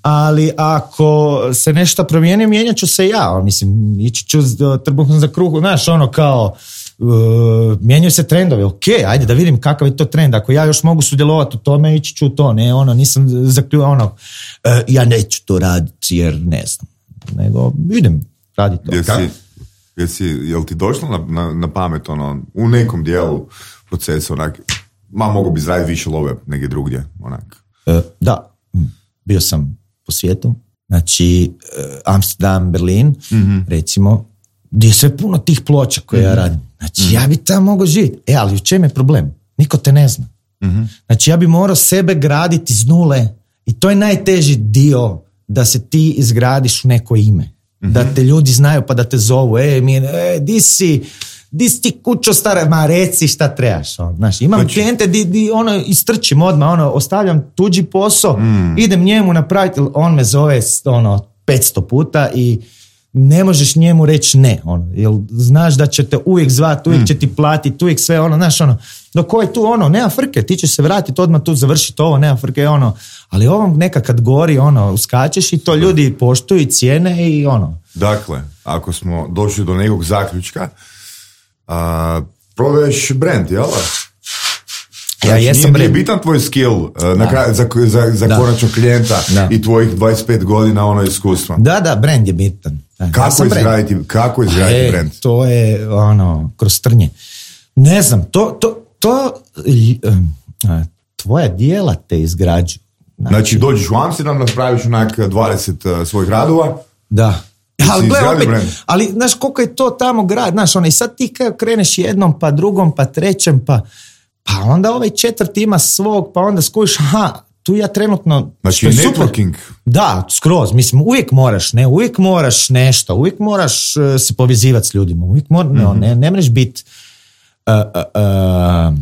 ali ako se nešto promijeni, mijenjat ću se ja, mislim, ići ću trbuhom za kruhu, znaš, ono kao, Uh, mijenjaju se trendovi, ok, ajde da vidim kakav je to trend, ako ja još mogu sudjelovati u tome, ići ću to, ne, ono, nisam zaključio, ono, uh, ja neću to raditi jer ne znam, nego idem raditi to. Jesi, jesi, jel ti došlo na, na, na pamet, ono, u nekom dijelu procesa, onak, ma mogu bi zraditi više love negdje drugdje, onak? Uh, da, bio sam po svijetu, znači uh, Amsterdam, Berlin, mm-hmm. recimo, gdje je sve puno tih ploča koje mm-hmm. ja radim. Znači, mm-hmm. ja bi tamo mogao živjeti. E, ali u čem je problem? Niko te ne zna. Mm-hmm. Znači, ja bi morao sebe graditi iz nule i to je najteži dio da se ti izgradiš u neko ime. Mm-hmm. Da te ljudi znaju pa da te zovu. E, mi, e, di si, di si ti kućo stara, ma reci šta trebaš. On. Znači, imam znači... klijente di, di ono, istrčim odmah, ono, ostavljam tuđi posao, mm. idem njemu napraviti, on me zove ono, petsto puta i ne možeš njemu reći ne, ono, jer znaš da će te uvijek zvati, uvijek će ti platiti, uvijek sve, ono, znaš, ono, dok je tu, ono, nema frke, ti ćeš se vratiti, odmah tu završiti ovo, nema frke, ono, ali ovom neka kad gori, ono, uskačeš i to ljudi poštuju i cijene i ono. Dakle, ako smo došli do nekog zaključka, a, prodaješ brand, jel? Ja znači, jesam nije, nije bitan tvoj skill uh, na kraju, za, za, za konačnog klijenta da. I tvojih dvadeset pet godina ono iskustva. Da, da, brand je bitan. Da, kako, ja izgraditi, kako izgraditi e, brand? To je ono, kroz trnje. Ne znam, to, to, to uh, tvoja dijela te izgrađuju. Znači, znači dođeš u Amsterdam, napraviš onak dvadeset uh, svojih radova. Da. Ali, gle, opet, ali znaš koliko je to tamo grad, znaš, ono, i sad ti kreneš jednom, pa drugom, pa trećem, pa pa onda ovaj četvrti ima svog, pa onda skuš, aha, tu ja trenutno... Znači networking. Super. Da, skroz, mislim, uvijek moraš, ne, uvijek moraš nešto, uvijek moraš uh, se povezivati s ljudima, uvijek moraš, mm-hmm. ne, ne mreš biti uh, uh, uh,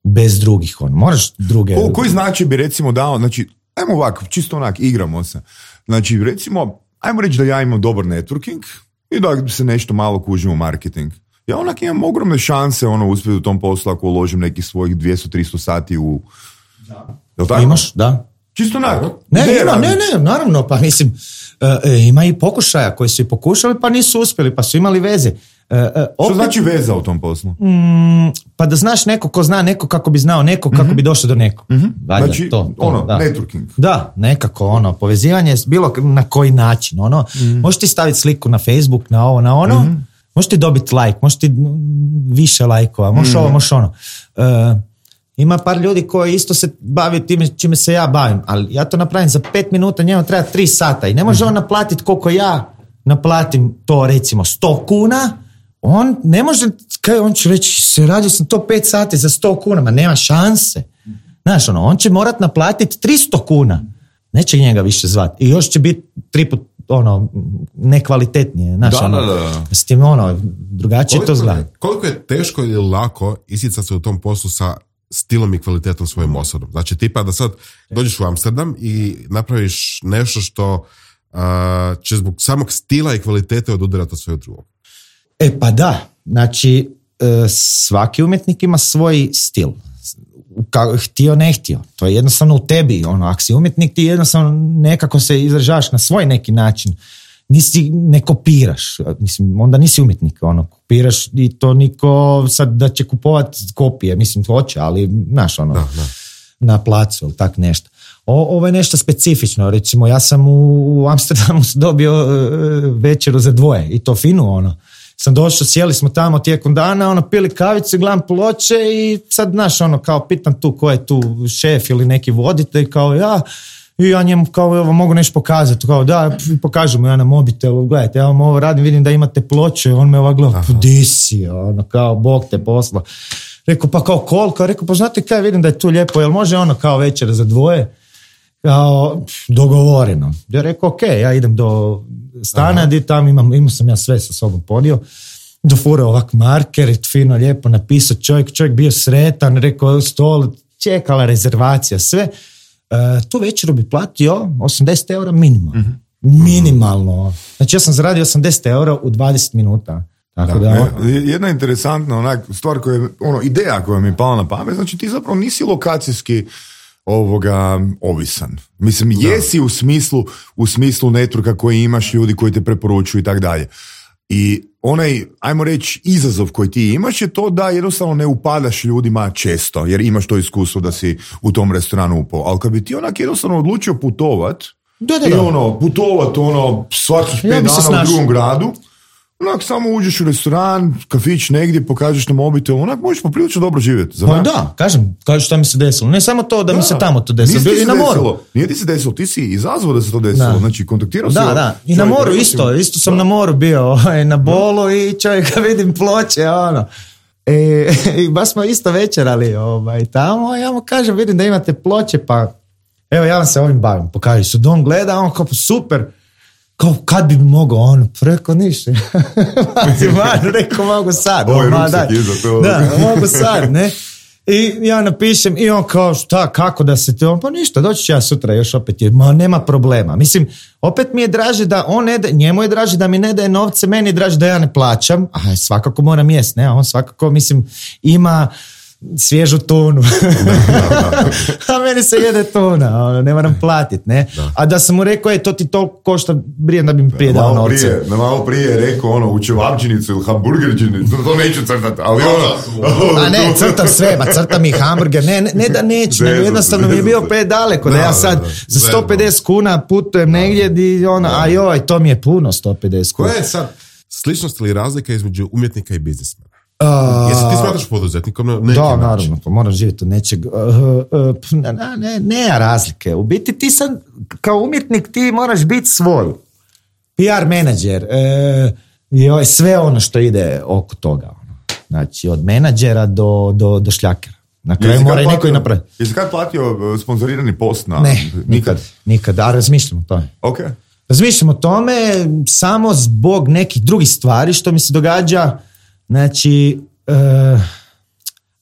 bez drugih, on, moraš druge... Ko, koji znači bi recimo dao, znači, ajmo ovako, čisto onak, igramo se, znači recimo, ajmo reći da ja imam dobar networking i da se nešto malo kužim u marketing. Ja onak imam ogromne šanse ono uspjeti u tom poslu ako uložim nekih svojih dvjesto do tristo sati u... Da. Jel tako? Imaš, da. Čisto onak. Ne, ima, ne, ne, naravno, pa mislim, uh, ima i pokušaja koji su i pokušali pa nisu uspjeli, pa su imali veze. Uh, uh, opet, što znači veza u tom poslu? Mm, pa da znaš neko ko zna neko kako bi znao neko kako mm-hmm. bi došao do nekog. Mm-hmm. Znači, to, to, ono, da. Networking. Da, nekako ono, povezivanje bilo na koji način, ono, mm-hmm. možeš ti staviti sliku na Facebook, na ovo, na ono, mm-hmm. možeš ti dobiti like, možeš ti više lajkova, možeš mm. ovo, možeš ono. Uh, ima par ljudi koji isto se bavi time čime se ja bavim, ali ja to napravim za pet minuta, njemu treba tri sata i ne može mm. on naplatiti koliko ja naplatim to recimo sto kuna, on ne može, kaj on će reći, se radio sam to pet sati za sto kuna, ma nema šanse. Znaš, ono, on će morat naplatiti tristo kuna. Neće njega više zvati. I još će biti tri put, ono, nekvalitetnije. Znaš, da, ono, da, da. S tim, ono, drugačije to zgleda. Koliko je teško ili lako isticati se u tom poslu sa stilom i kvalitetom svojim osobom? Znači, tipa da sad dođeš u Amsterdam i napraviš nešto što uh, će zbog samog stila i kvalitete odudarati od svojeg drugog. E pa da, znači svaki umjetnik ima svoj stil. Ka, htio, ne htio. To je jednostavno u tebi. Ono, ako si umjetnik, ti jednostavno nekako se izražavaš na svoj neki način. Nisi, ne kopiraš. Mislim, onda nisi umjetnik. Ono, kopiraš i to niko sad da će kupovat kopije. Mislim, hoće, ali znaš, ono, da, da. na placu ili tak nešto. O, ovo je nešto specifično. Recimo, ja sam u, u Amsterdamu dobio uh, večeru za dvoje i to finu, ono. Sam došao, sjeli smo tamo tijekom dana, ono, pili kavicu, gledam ploče i sad, znaš, ono, kao pitam tu ko je tu šef ili neki voditelj, kao ja, i ja njemu kao, evo, mogu nešto pokazati, kao da, pokažu mu ja na mobitelu, gledajte, ja vam ovo radim, vidim da imate ploče, on me ovak gleda, di si, ono, kao, Bog te posla. Rekao, pa kao koliko? Rekao, pa znate kaj, vidim da je tu lijepo, jel može ono kao večera za dvoje? Kao, dogovoreno. Ja rekao, ok, ja idem do stana, di tam imam, imao sam ja sve sa sobom podio, dofurao ovak marker, fino, lijepo napisao čovjek, čovjek bio sretan, rekao, stol, čekala rezervacija, sve. E, tu večeru bi platio osamdeset eura minimalno. Mm-hmm. Minimalno. Znači ja sam zaradio osamdeset eura u dvadeset minuta. Tako da, da, on... Jedna interesantna onak, stvar koja je, ono, ideja koja mi je pala na pamet, znači ti zapravo nisi lokacijski ovoga ovisan. Mislim, jesi da. u smislu u smislu networka koji imaš, ljudi koji te preporučuju i tak dalje. I onaj, ajmo reći, izazov koji ti imaš je to da jednostavno ne upadaš ljudima često, jer imaš to iskustvo da si u tom restoranu upao. Ali kad bi ti onak jednostavno odlučio putovat, da, da, da. i ono, putovat ono, svakih pet ja dana u drugom gradu, onak samo uđeš u restoran, kafić negdje, pokažeš na mobitel, onak možeš poprilično dobro živjeti. Pa da, kažem, kažeš šta mi se desilo. Ne samo to da, da mi se tamo to desilo, bio i na moru. Desilo, nije ti se desilo, ti si izazvao da se to desilo, da. Znači kontaktirao da, si. Da, da, i na moru isto, isto sam da. na moru bio, na Bolu da. I čovjeka vidim ploče, ono. E, i baš smo isto večerali ovaj, tamo, ja mu kažem, vidim da imate ploče, pa evo ja vam se ovim bavim, pokaži su, on gleda, on kao super, kao kad bi mogao on, preko ništa. Man, rekao mogu sad. Ovo je ruksak iza to. Da, mogu sad, ne. I ja napišem i on kao šta, kako da se te, on pa ništa, doći ću ja sutra još opet, je, ma nema problema. Mislim, opet mi je draže da on ne da, njemu je draže da mi ne daje novce, meni je draže da ja ne plaćam, a svakako moram jest, ne, a on svakako, mislim, ima svježu tunu. A meni se jede tuna, ono, ne moram platiti, ne? Da. A da sam mu rekao, je, to ti toliko košta, brijem da bi mi prije dao novce. Prije, na malo prije je rekao, ono, u čevapčinicu ili hamburgerčinicu, to neću crtati, ali ono... A ne, crtam sve, ma crtam i hamburger, ne, ne, ne da neću, nego jednostavno mi je bio predaleko, da, da ja sad za sto pedeset kuna putujem negdje, di, ono, a joj, to mi je puno sto pedeset kuna. Koja je sad sličnost ili razlika između umjetnika i biznismena? Uh, Jesi ti smatraš poduzetnikom na neki da, način? naravno, pa moraš živjeti od nečeg. Uh, uh, ne, ne, ne razlike. U biti ti sad, kao umjetnik, ti moraš biti svoj. P R menadžer, uh, sve ono što ide oko toga. Znači, od menadžera do, do, do šljakera. Na kraju mora i neko i napraviti. Jesi kad platio sponzorirani post na... Ne, nikad, nikad, a razmišljam o tome. Ok. Razmišljam o tome samo zbog nekih drugih stvari što mi se događa. Znači, uh,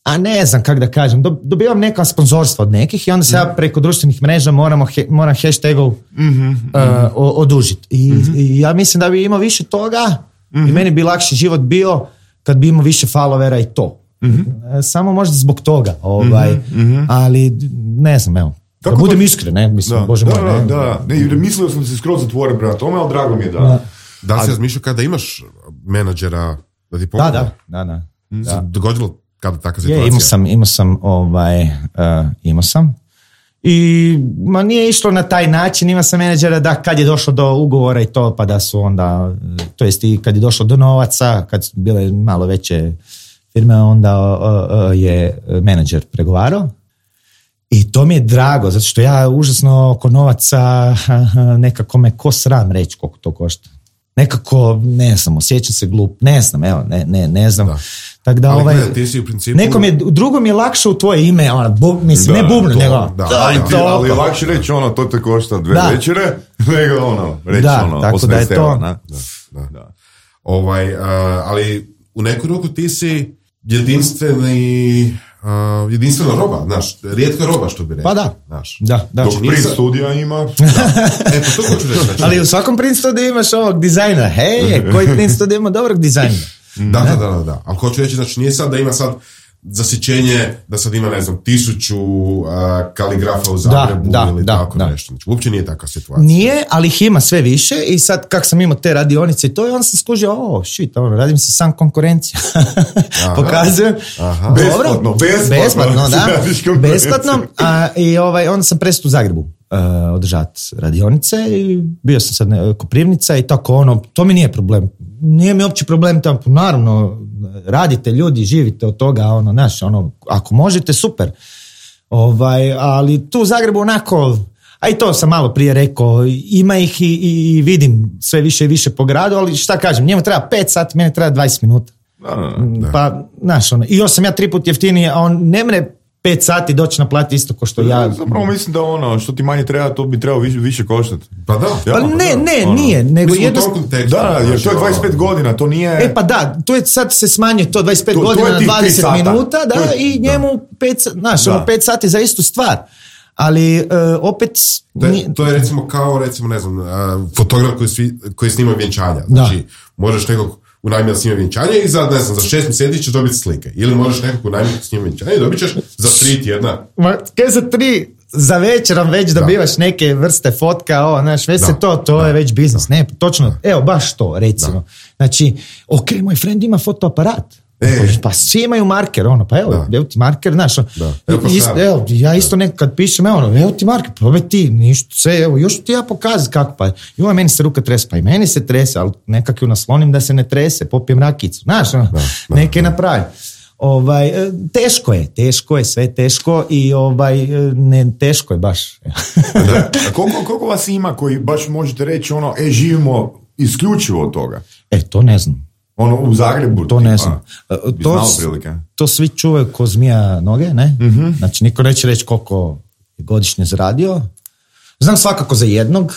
a ne znam kako da kažem, dobivam neka sponzorstva od nekih i onda se mm. ja preko društvenih mreža moramo, he, moram hashtagov mm-hmm, uh, mm-hmm. odužiti. I, mm-hmm. I ja mislim da bi imao više toga mm-hmm. i meni bi lakši život bio kad bi imao više followera i to. Mm-hmm. Samo možda zbog toga, ovaj, mm-hmm. ali ne znam, evo. Kako da budem to... iskren, ne, mislim, da, bože da, moj. Da, da, da. Ne, mislio sam se skroz zatvoren prema tome, ali drago mi je da... Da, da si razmišljao kada imaš menadžera da ti pomogu? Da, da, da. da. Se dogodilo kada takva situacija? Je, imao sam, imao sam, ovaj, uh, imao sam. I, ma nije išlo na taj način, imao sam menadžera da kad je došlo do ugovora i to, pa da su onda, to jest i kad je došlo do novaca, kad su bile malo veće firme, onda uh, uh, je menadžer pregovarao. I to mi je drago, zato što ja užasno oko novaca nekako me ko sram reći koliko to košta. nekako, ne znam, osjećam se glup, ne znam, evo, ne, ne, ne znam. Da. Tak da, ali ovaj, gleda, ti si u principu... nekom je, drugom je lakše u tvoje ime, ona, bu, mislim, Da, ne bubnu, to, nego, da, daj da, Ti, to. ali je lakše reći ono, to te košta dve Da. večere, nego ono, reći Da, ono, tako da je osamnaest to- eura, na. Da, da. Da. Ovaj, uh, ali u neku ruku ti si jedinstveni, uh, jedinstvena roba, znaš, rijetka roba, što bi rekao. Pa da, Znaš. da, da. Dok Znači, print nisam- studija ima, E, pa to hoću reći. Znači, Ali u svakom print studiju imaš ovog dizajnera. Hej, koji print studiju ima dobrog dizajnera? Da, da, da, da, da. Ali hoću reći, znači nije sad da ima sad zasićenje, da sad ima, ne znam, tisuću uh, kaligrafa u Zagrebu da, ili da, tako da. nešto. Znači, uopće nije takva situacija. Nije, ali ih ima sve više i sad kak sam imao te radionice i to i onda sam skužio, o, shit, ono, radim si sam konkurenciju. Pokazujem. Aha. Dobro, Besplatno, besplatno. Besplatno, da. Radiš konkurenciju. Besplatno. A, I ovaj, onda sam prestao u Zagrebu uh, održati radionice i bio sam sad ne, Koprivnica i tako ono, to mi nije problem. Nije mi uopće problem tamo, naravno, radite ljudi, živite od toga, ono, znaš, ono, ako možete, super. Ovaj, ali tu u Zagrebu onako, a i to sam malo prije rekao, ima ih i, i vidim sve više i više po gradu, ali šta kažem, njemu treba pet sati, meni treba dvadeset minuta. Da, da, da. Pa, znaš, ono, i još sam ja tri put jeftiniji, a on ne mre pet sati doći naplatiti isto ko što ja. Zapravo mislim da ono, što ti manje treba, to bi trebalo više, više koštati. Pa da. Ja, Pa pa ne, da, ne, ono. nije, nego Mislim, u jedno... tom kontekstu. Da, jer to je znači, dvadeset pet ono, godina, to nije... E pa da, tu je sad se smanjuje to dvadeset pet To- to je godina na tih tri dvadeset sata. minuta, da, To je- i njemu pet, znaš, Da. ono pet sati za istu stvar. Ali e, opet... To nije- je, to je recimo kao, recimo, ne znam, uh, fotograf koji, svi, koji snima vjenčanja. Znači, možeš nekog unajmiti da snima vjenčanje i za, ne znam, za šest mjeseci ćeš dobiti slike. Ili možeš nekog unajmiti da snima vjenčanje i dobit ćeš za tri tjedna. Ma, kaj za tri, za večerom već dobivaš neke vrste fotka, o, znaš, već Da. se to, to je već biznis. Ne, točno, evo, baš to, recimo. Znači, ok, moj friend ima fotoaparat. E. Pa svi imaju marker, ono, pa evo, Da. evo ti marker, znaš, ono, Da. Evo pa isto, šta? evo, ja isto nekad pišem, evo, ono, evo ti marker, probaj ti, ništa, sve, evo, još ti ja pokazati kako, pa, joj, meni se ruka trese, pa i meni se trese, ali nekako ju naslonim da se ne trese, popijem rakicu, znaš, ono, Da, da, neke napravim. Ovaj, e, teško je, teško je, sve teško i ovaj, e, ne, teško je baš. Da. A koliko, koliko vas ima koji baš možete reći ono, e, živimo isključivo od toga? E, to ne znam. Ono, u Zagrebu? To tipa, ne znam. E, bi To, znao s- prilike. to svi čuvaju ko zmija noge, ne? Znači, niko neće reći koliko je godišnje zaradio. Znam svakako za jednog,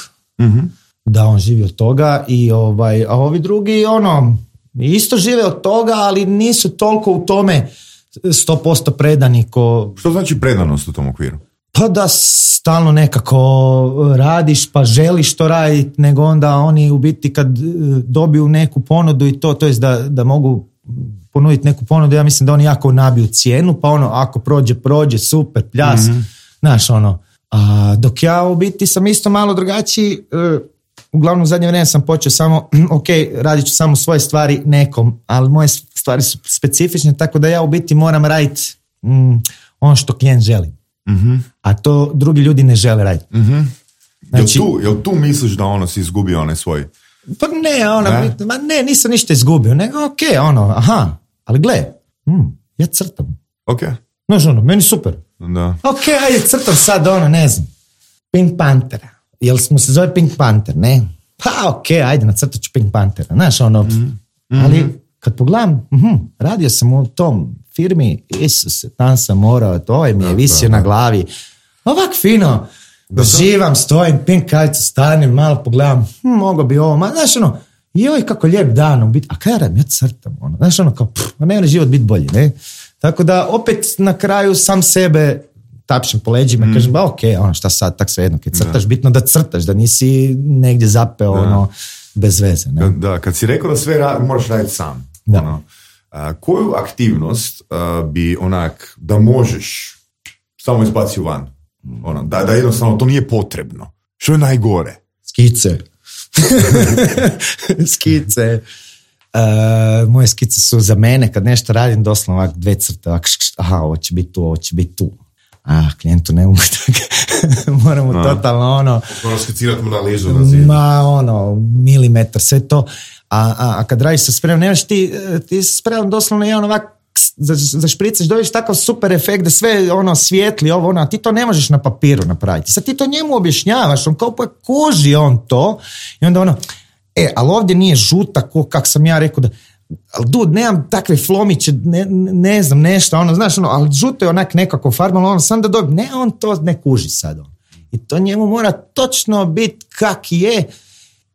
da on živi od toga, i ovaj, a ovi drugi, ono, isto žive od toga, ali nisu toliko u tome sto posto predani ko... Što znači predanost u tom okviru? Pa da stalno nekako radiš pa želiš to raditi, nego onda oni u biti kad e, dobiju neku ponudu i to, to jest da, da mogu ponuditi neku ponudu, ja mislim da oni jako nabiju cijenu, pa ono, ako prođe, prođe, super, pljas, znaš, ono. A, dok ja u biti sam isto malo drugačiji, e, uglavnom u zadnje vrijeme sam počeo samo, ok, radit ću samo svoje stvari nekom, ali moje stvari su specifične, tako da ja u biti moram raditi mm, ono što klijent želi. A to drugi ljudi ne žele raditi. Znači, jel, tu, jel tu misliš da ono si izgubio onaj svoj? pa ne, ona, Ne? ma ne, nisam ništa izgubio, nego ok, ono, aha, ali gle, mm, ja crtam. Ok, Znaš, ono, meni super. da. Ok, ajde, crtam sad, ono, ne znam, Pink Panthera. Jel mu se zove Pink Panther, ne? Pa ok, ajde, nacrtat ću Pink Panthera. Znaš, ono, ali kad pogledam, mhm, radio sam u tom firmi, Isuse, tam sam morao, to ovaj mi je visio na glavi. Ovak fino, živam, stojim, pink kajicu, stanem, malo pogledam, hm, mogo bi ovo, ma, znaš, ono, joj, kako lijep dan, u biti, a kaj ja radim, ja crtam, ono, znaš, ono, kao, pff, ma ne mora život biti bolji, ne? Tako da, opet, na kraju, sam sebe tapšem po leđima i kažem, ba, ok, ono, šta sad, tak svejedno, kad crtaš, bitno da crtaš, da nisi negdje zapeo, ono, bez veze, ne? Da, kad si rekao da sve ra- moraš raditi sam. Da. Ono, a, koju aktivnost a, bi onak, da možeš samo izbaci van? Ono, da, da jednostavno to nije potrebno. Što je najgore? Skice. Skice. Uh, moje skice su za mene, kad nešto radim, doslovno ovak dve crte, ovak, šk, šk, aha, ovo će biti tu, ovo će biti tu. A, klijentu ne mogu tako. Moramo A. totalno ono, Moram skicirati analizu na zidu. ma ono, milimetar, sve to. A, a, a kad radiš sa spremom, nemaš ti, ti sa spremom doslovno jedan ovak, za, za špricaš, dobiješ takav super efekt da sve ono svijetli, ovo ono, a ti to ne možeš na papiru napraviti. Sad ti to njemu objašnjavaš, on kao pa kuži on to i onda ono, E, ali ovdje nije žuta, ko, kak sam ja rekao da, ali dud, nemam takve flomiće, ne, ne znam, nešto, ono, znaš, ono, ali žuto je onak nekako farba, ono, sam da dobijem, ne, on to ne kuži sad, on. I to njemu mora točno biti kak je,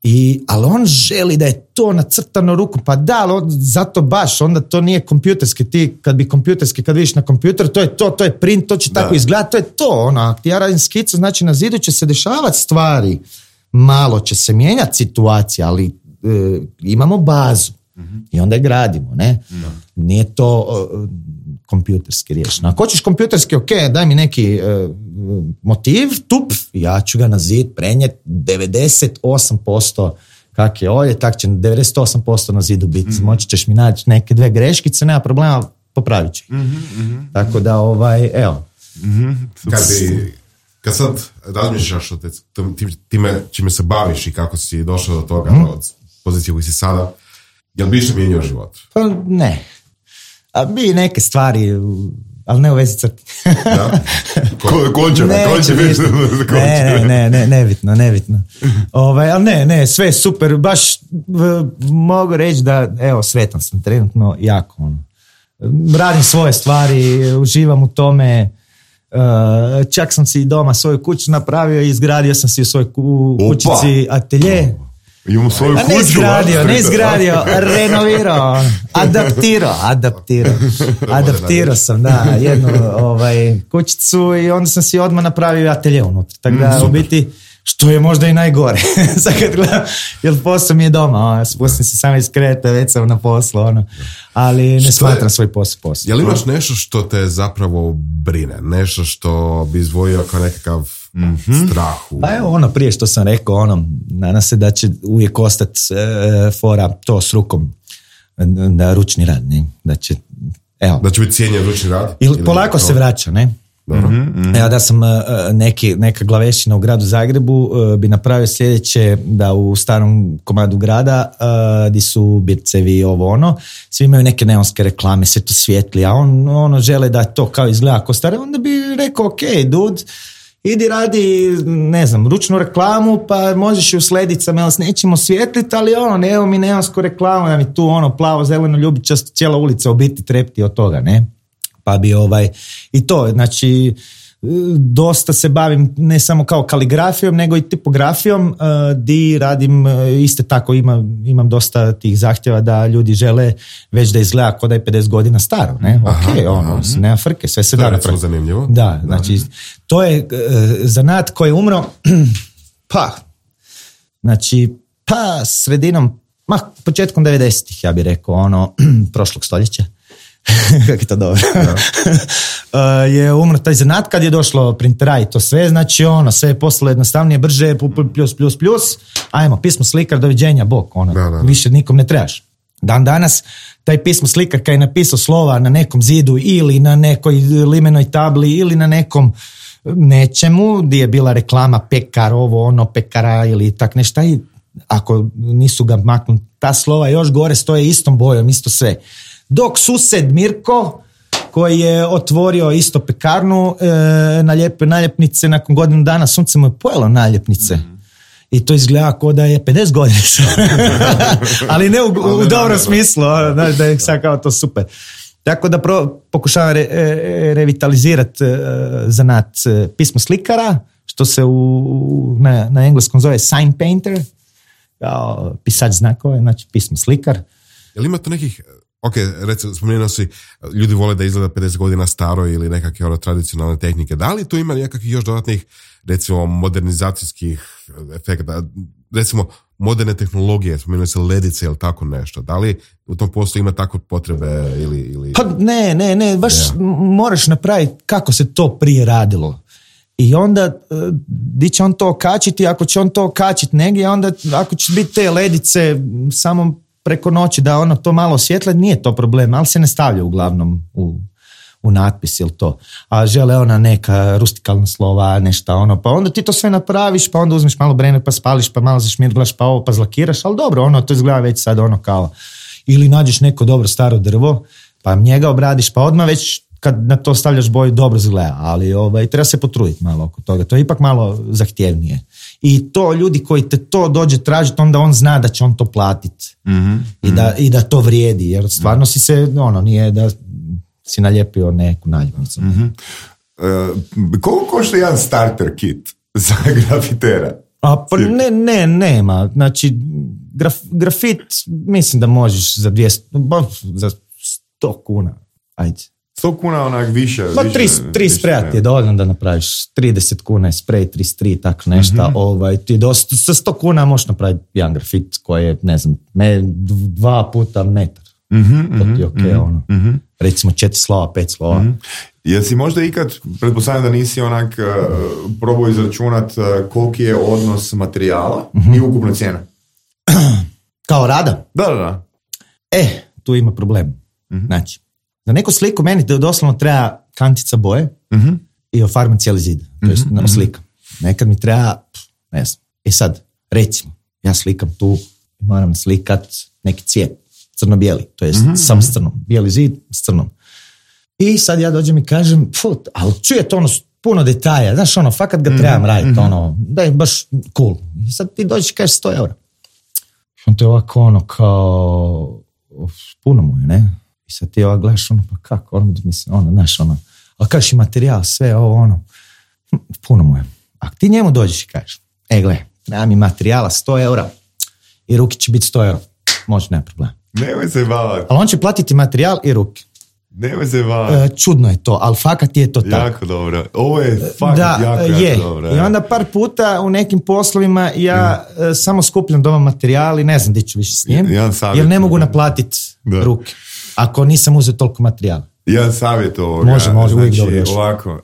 I, ali on želi da je to nacrtano rukom, pa da, ali on, zato baš, onda to nije kompjuterski, ti kad bi kompjuterski, kad vidiš na kompjuteru, to je to, to je print, to će da. Tako izgledati, to je to, ono, ako ti ja radim skicu, znači na zidu će se dešavati stvari, malo će se mijenjati situacija, ali e, imamo bazu mm-hmm. i onda je gradimo, ne? Da. Nije to e, kompjuterski riješeno. Ako hoćeš kompjuterski, ok, daj mi neki e, motiv, tup, ja ću ga na zid prenijeti devedeset osam posto kak je ovdje, tak će devedeset osam posto na zidu biti. Mm-hmm. Moći ćeš mi naći neke dve greškice, nema problema, popravit će. Mm-hmm. Tako da, ovaj, evo. Mm-hmm. Kad, bi, kad sad razmišljaš o te, time čime se baviš i kako si došao do toga, mm-hmm. od pozicije koji si sada, jel bi što mijenio život? Pa ne. A bi neke stvari, ali ne u vezi crti. Da? Ko, končeva, končeva. Ne, ne, ne, nebitno, nebitno. Ovaj, ali ne, ne, sve super, baš mogu reći da, evo, sretan sam trenutno jako. Ono. Radim svoje stvari, uživam u tome, uh, čak sam si doma svoju kuću napravio i izgradio sam si u svojoj ku, kućici atelje. Imamo svoju kuću. Ne izgradio, ne izgradio, renovirao, adaptirao, adaptirao, adaptirao sam, da, jednu ovaj, kućicu i onda sam si odmah napravio atelje unutra. Tako da, mm, u biti, što je možda i najgore. Sad kad gledam, jer posao mi je doma, ono, spustim se samo iz kreta, već sam na poslu, ono, ali ne što smatram je, svoj posao posao. Jel imaš nešto što te zapravo brine? Nešto što bi izvojio kao nekakav mm-hmm. strahu? Pa evo ono prije što sam rekao, ono, nadam se da će uvijek ostati e, fora to s rukom, da ručni rad, ne? Da će, evo. Da će biti cijenjen ručni rad? Ili polako se vraća, ne? Dobro. Mm-hmm. Evo da sam uh, neki, neka glavešina u gradu Zagrebu uh, bi napravio sljedeće, da u starom komadu grada uh, di su bircevi i ovo ono, svi imaju neke neonske reklame, sve to svijetli, a on ono žele da to kao izgleda ako stare, onda bi rekao ok, dude, idi radi, ne znam, ručnu reklamu, pa možeš i u sledicama, jel s nećemo svijetliti, ali ono, evo mi neonsku reklamu, da mi tu ono plavo, zeleno, ljubičasto, cijela ulica u biti trepti od toga, ne? Pa bi ovaj, i to, znači, dosta se bavim ne samo kao kaligrafijom, nego i tipografijom, uh, di radim uh, isto tako, imam, imam dosta tih zahtjeva da ljudi žele već da izgleda kao da je pedeset godina staro, ne? Aha, ok, ono, aha. nema frke, sve se to da napraviti. Zanimljivo. Da, znači, uh-huh. to je uh, zanat koji je umro, pa, znači, pa sredinom, ma, početkom devedesetih, ja bih rekao, ono, prošlog stoljeća. Kako je to dobro. uh, je umro taj zanat kad je došlo printera i to sve, znači ono, sve je postalo jednostavnije, brže, plus, plus, plus, ajmo, pismo slikar, doviđenja, bok, ono, da, da, da. Više nikom ne trebaš. Dan danas, taj pismo slikar kad je napisao slova na nekom zidu ili na nekoj limenoj tabli ili na nekom nečemu, gdje je bila reklama pekar, ovo, ono, pekara ili tak nešto, i ako nisu ga maknuli, ta slova još gore stoje istom bojom, isto sve. Dok sused Mirko, koji je otvorio isto pekarnu, e, naljepe naljepnice, nakon godinu dana sunce mu je pojelo naljepnice. Mm-hmm. I to izgleda kao da je pedeset godina. Ali ne u, u, u dobrom smislu, da, da je sad kao to super. Tako da pro, pokušavam re, re, revitalizirati e, zanat e, pismo slikara, što se u, na, na engleskom zove sign painter, kao pisač znakove, znači pismo slikar. Je li ima to nekih... Ok, recimo, spomenuo si, ljudi vole da izgleda pedeset godina staro ili nekakve ono, tradicionalne tehnike. Da li tu ima nekakvih još dodatnih, recimo, modernizacijskih efekta? Recimo, moderne tehnologije, spomenuo se ledice ili tako nešto. Da li u tom poslu ima takve potrebe ili... ili... Pa ne, ne, ne, baš yeah. moraš napraviti kako se to prije radilo. I onda, di će on to okačiti, ako će on to okačiti negdje, onda ako će biti te ledice samo preko noći da ono to malo osvjetle, nije to problem, ali se ne stavlja uglavnom u, u natpis ili to. A žele ona neka rustikalna slova, nešto ono, pa onda ti to sve napraviš, pa onda uzmeš malo brene, pa spališ, pa malo zašmirglaš, pa ovo, pa zlakiraš, ali dobro, ono, to izgleda već sad ono kao, ili nađeš neko dobro staro drvo, pa njega obradiš, pa odmah već kad na to stavljaš boju dobro izgleda, ali ovaj, treba se potruditi malo oko toga. To je ipak malo zahtjevnije. I to ljudi koji te to dođe tražiti, onda on zna da će on to platiti. Mm-hmm. I, da, i da to vrijedi, jer stvarno si se, ono, nije da si nalijepio neku naljepnicu. Mm-hmm. Uh, koliko košta jedan starter kit za grafitera? A, pa ne, ne, nema. Znači, graf, grafit mislim da možeš za dvjesto, za sto kuna. Ajde. sto kuna onak više. Pa tri spreja ti je dovoljno da napraviš. trideset kuna je sprej, trideset tri, tako nešto. Mm-hmm. Ovaj, ti dosta, sa sto kuna možeš napraviti jedan grafit koji je, ne znam, me, dva puta metar. Mm-hmm, to ti je okej, okay, ono. Mm-hmm. Recimo četiri slova, pet slova. Mm-hmm. Jesi možda ikad, pretpostavljam da nisi onak uh, probao izračunat uh, koliki je odnos materijala mm-hmm. i ukupna cijena? Kao rada? Da, da, da. E, tu ima problem. Mm-hmm. Znači, za neku sliku meni doslovno treba kantica boje mm-hmm. i ofarban cijeli zid. To jest mm-hmm. slika. Nekad mi treba, ne znam. E sad, recimo, ja slikam tu i moram slikat neki cijet. Crno-bijeli, to jest mm-hmm. sam s crnom. Bijeli zid s crnom. I sad ja dođem i kažem, put, ali čujete ono puno detalja, znaš ono, fakat ga trebam mm-hmm. raditi, ono, da je baš cool. I sad ti dođeš i kažeš sto eura. On te ovako ono kao, puno mu je, ne? I sad ti ovako gledaš ono, pa kako, ono, mislim, ono, znaš ono, ali kažeš i materijal, sve ovo, ono, puno mu je. A ti njemu dođeš i kažeš, e, gle, treba mi materijala sto eura i ruki će biti sto eura. Može, nema problema. Nemoj se bavati. Ali on će platiti materijal i ruke. Nemoj se bavati. E, čudno je to, ali fakat je to tako. Jako dobro. Ovo je fakat da, jako, je. jako dobro. I onda par puta u nekim poslovima ja mm. samo skupljam doma materijal i ne znam gdje ću više s njim, ja, jer ne mogu naplatiti ruke. Ako nisam uzeo toliko materijala. Jedan savjet ovoga. Može, može, znači, uvijek dobro još. Ovako,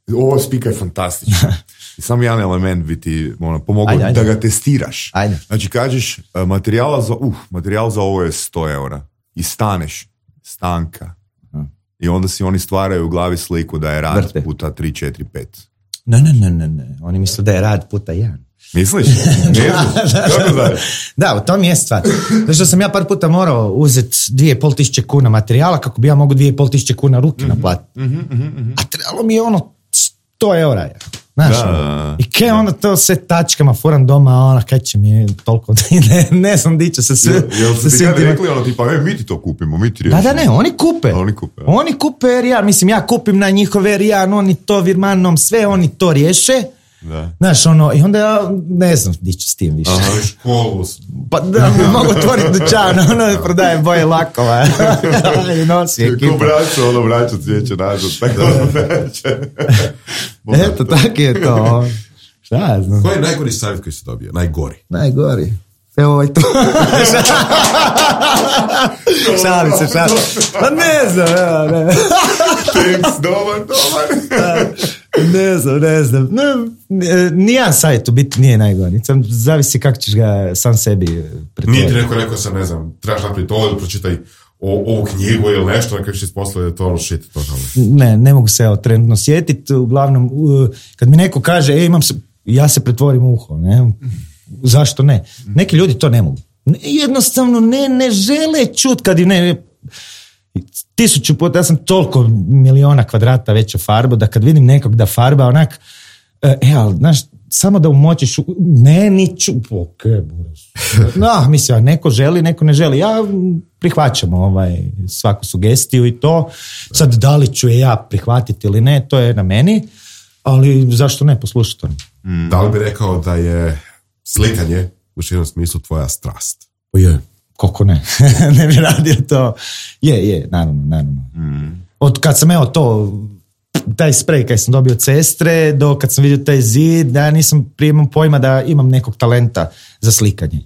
uh, ovo spika je fantastično. Samo jedan element bi ti ono, pomogao ajde, ajde. da ga testiraš. Ajde. Znači kažeš, uh, materijala za, uh, materijal za ovo je sto eura. I staneš, stanka. Uh. I onda si oni stvaraju u glavi sliku da je rad Vrte. puta tri, četiri, pet. Ne, ne, ne, ne, ne. Oni misle da je rad puta jedan. Misliš? da, da, u tom je stvar. Zato što sam ja par puta morao uzeti dvije i pol tisuće kuna materijala kako bi ja mogu dvije i pol tisuće kuna ruke mm-hmm, naplatiti. Mm-hmm, mm-hmm. A trebalo mi je ono sto eura. Je. Znaš, da, ono. I kaj onda to sve tačkama furam doma, ona kaj će mi toliko, ne, ne znam di će se sve. Jel, jel se ti kad rekli ono tipa, e, mi ti to kupimo, mi ti riješimo. Da, da, ne, oni kupe. Oni kupe, ja. Oni kupe R I A, mislim, ja kupim na njihove R I A, oni to virmanom, sve oni to riješe. Da. Znaš, ono, i onda ja ne znam di ću s tim više. Aha, školu. Pa da, mogu otvoriti dućan, ono, prodajem boje lakova. I nosi ekipa. Ko braću, ono, braću cvijeće nazad, tako ono veće. Eto, tako je to. Šta ja znam. Koji je najgori savjet koji se dobio? Najgori? Najgori. Evo ovaj to. Šalim se, šalim. Pa ne znam, evo, ne. Thanks, dobar, dobar. Ne znam, ne znam. Nijedan savjet u biti nije najgori. Zavisi kako ćeš ga sam sebi pretvoriti. Nije ti neko rekao sam, ne znam, trebaš napraviti ovo ili pročitaj ovu knjigu ili nešto, kako će ispostaviti da je to ono shit. To ne, ne mogu se evo trenutno sjetiti. Uglavnom, kad mi neko kaže, e, imam se, ja se pretvorim u uho, ne? Zašto ne? Neki ljudi to ne mogu. Jednostavno ne, ne žele čut kad im ne... Tisuću puta, ja sam toliko miliona kvadrata veća farba, da kad vidim nekog da farba onak, e, ali, znaš, samo da umočiš, ne, niću, ok, no, mislim, neko želi, neko ne želi, ja prihvaćam ovaj, svaku sugestiju i to, sad da li ću je ja prihvatiti ili ne, to je na meni, ali zašto ne, poslušati to. Mm. Da li bi rekao da je slikanje u širnom smislu tvoja strast? O je. Koliko ne? Ne bi radio to. Je, je, naravno, naravno. Mm. Od kad sam evo to, taj sprej kad sam dobio od sestre, do kad sam vidio taj zid, da ja nisam prije imam pojma da imam nekog talenta za slikanje.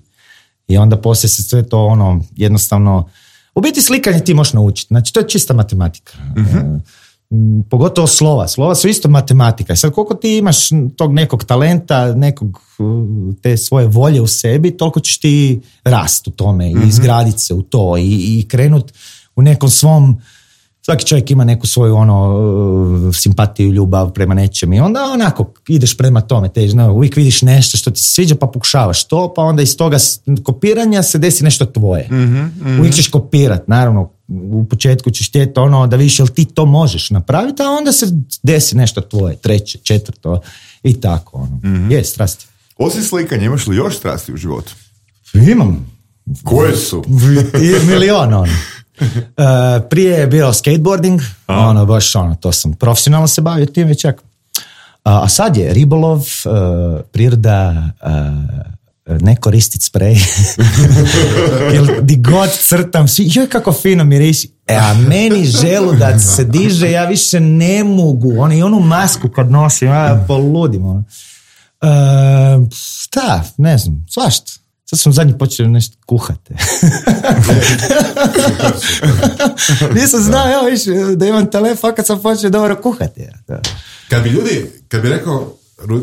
I onda poslije se sve to ono, jednostavno, u biti slikanje ti možeš naučiti. Znači, to je čista matematika. Mm-hmm. E, pogotovo slova. Slova su isto matematika. I sad koliko ti imaš tog nekog talenta, nekog te svoje volje u sebi, toliko ćeš ti rast u tome i mm-hmm. izgraditi se u to i, i krenut u nekom svom, svaki čovjek ima neku svoju ono simpatiju, ljubav prema nečem i onda onako ideš prema tome, te, no, uvijek vidiš nešto što ti se sviđa pa pokušavaš to, pa onda iz toga kopiranja se desi nešto tvoje. Mm-hmm, mm-hmm. Uvijek ćeš kopirat, naravno, u početku ćeš htjeti ono da više, jel ti to možeš napraviti, a onda se desi nešto tvoje, treće, četvrto i tako. Ono. Mm-hmm. Je, strasti. Osim slikanja, imaš li još strasti u životu? Imam. Koje su? Milion, ono. Uh, prije je bio skateboarding, a. ono, baš ono, to sam profesionalno se bavio tim već čak. Uh, a sad je ribolov, uh, priroda, uh, ne koristit sprej. Jer di god crtam, svi, joj kako fino miriši. E, a meni želudac se diže, ja više ne mogu. Ono, i onu masku kad nosim, ja poludim. Ono. Uh, šta, ne znam, svašta. Sad sam zadnji počeo nešto kuhati. Nisam znao, evo više, da imam telefon kad sam počeo dobro kuhati. Kad bi ljudi, kad bi rekao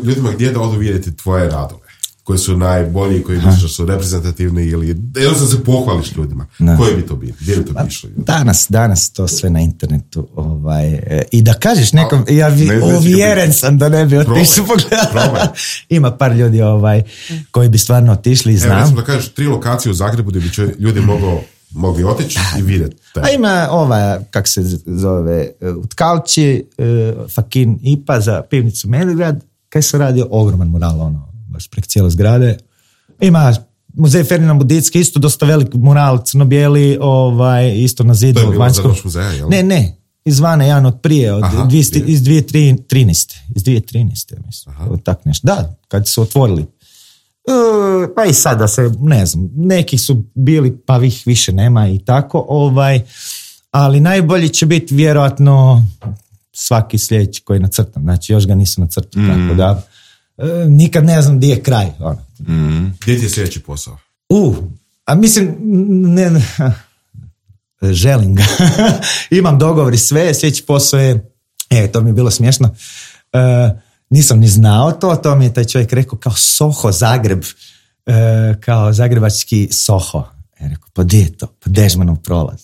ljudima gdje da odu vidjeti tvoje radove, koji su najbolji, koji misliš da su reprezentativni ili jednostavno se pohvališ ljudima, no. Koji bi to bili? Gdje bi to bi išlo? Danas, danas to sve na internetu. Ovaj, i da kažeš nekom, A, ja vi, uvjeren sam da ne bi otišao pogledati. Ima par ljudi ovaj, koji bi stvarno otišli i znam. Evo, recimo da kažeš tri lokacije u Zagrebu gdje bi će ljudi mogli mogli otići i vidjeti. A ima ova, kak se zove, u Tkalči, Fakin Ipa za pivnicu Medgrad, kaj se radio ogroman mural, ono, baš prek cijele zgrade. Ima muzej Ferdinand Budicki, isto dosta velik mural, crno-bijeli, ovaj, isto na zidu. To je bilo za noć muzeja, jel? Ne, ne, izvana jedan od prije, od Aha, dvije, iz dvije tisuće trinaeste. Iz dvije tisuće trinaeste, mislim. Tak nešto. Da, kad su otvorili. Uh, pa i sad da se, ne znam, neki su bili, pa ih više nema i tako, ovaj, ali najbolji će biti vjerojatno svaki sljedeći koji nacrtam. Znači, još ga nisam nacrtao, mm. tako da uh, nikad ne znam gdje je kraj. Ono. Mm. Gdje ti je sljedeći posao? Uh, a mislim, ne, ne želim ga. Imam dogovor i sve, sljedeći posao je, e, to mi je bilo smiješno, uh, nisam ni znao to, to mi je taj čovjek rekao kao Soho Zagreb, e, kao zagrebački Soho. Ja rekao, pa gdje je to? Pa Dežmanov prolaz.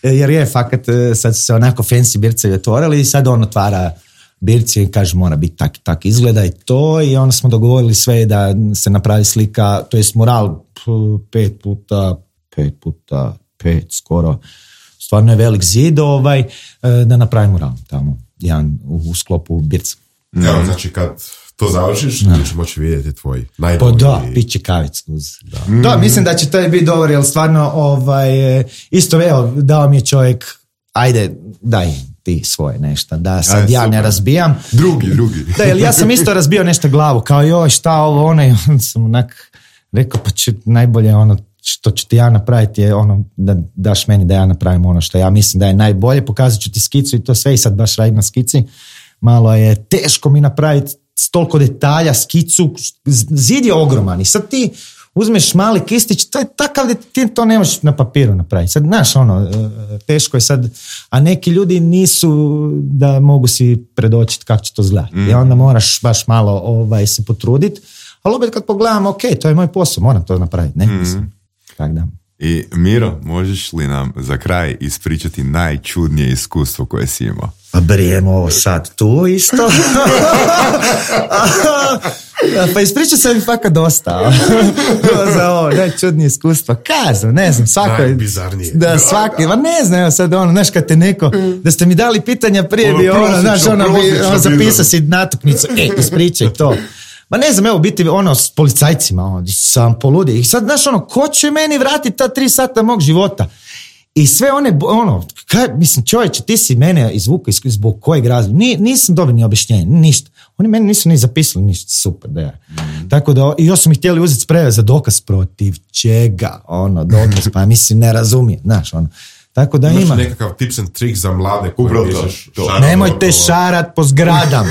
Jer je, fakat, sad su se onako fancy bircevi otvorili i sad on otvara birci i kaže mora biti tak i tak izgleda i to, i onda smo dogovorili sve da se napravi slika, to je mural pet puta, pet puta, pet skoro, stvarno je velik zid, ovaj, da napravimo mural tamo. Jedan u, u sklopu birca. Evo, znači kad to završiš, no. Ćeš moći vidjeti tvoj najbolji... Pa da, piće kavicu. Da. Mm. da, mislim da će to biti dobro, jer stvarno ovaj, isto, evo, dao mi je čovjek, ajde, daj ti svoje nešto, da sad Aj, ja super. Ne razbijam. Drugi, drugi. Da, jer ja sam isto razbio nešto glavu, kao joj, šta ovo, ono, i onda sam onak rekao, pa će najbolje ono, što ću ti ja napraviti je ono da daš meni da ja napravim ono što ja mislim da je najbolje, pokazat ću ti skicu i to sve, i sad baš radim na skici. Malo je teško mi napraviti s toliko detalja skicu, zid je ogroman i sad ti uzmeš mali kistić, to je takav da ti to ne možeš na papiru napraviti. Sad, znaš, ono, teško je sad, a neki ljudi nisu da mogu si predočiti kako će to izgledati. Mm. I onda moraš baš malo ovaj, se potruditi, ali opet kad pogledam, ok, to je moj posao, moram to napraviti, ne? Mm. Tak da. I Miro, možeš li nam za kraj ispričati najčudnije iskustvo koje si imao? Pa brijemo ovo sad tu isto. Pa ispričao sam mi fakat dosta. Za ovo najčudnije iskustvo. Kažem, ne znam, svako... Najbizarnije. Da, svaki, ma ne znam, evo sad ono, znaš kad te neko, da ste mi dali pitanja prije ono, bi ono, znaš, ono, bi, ono zapisao si natuknicu, e, ispričaj to. Ma ne znam, evo, biti ono s policajcima, ono, sam poludio. I sad, znaš, ono, ko će meni vratiti ta tri sata mog života? I sve one, ono, kaj, mislim, čovječe, ti si mene izvukao zbog kojeg razloga. Ni, nisam dobio ni objašnjenje, ništa. Oni meni nisu ni zapisali ništa, super, da je. Mm. Tako da, i još su mi htjeli uzeti spreve za dokaz protiv čega, ono, dokaz, pa mislim, ne razumije, znaš, ono. Tako da imaš ima. nekakav tips and trik za mlade koji pišeš. Nemojte šarat po zgradam.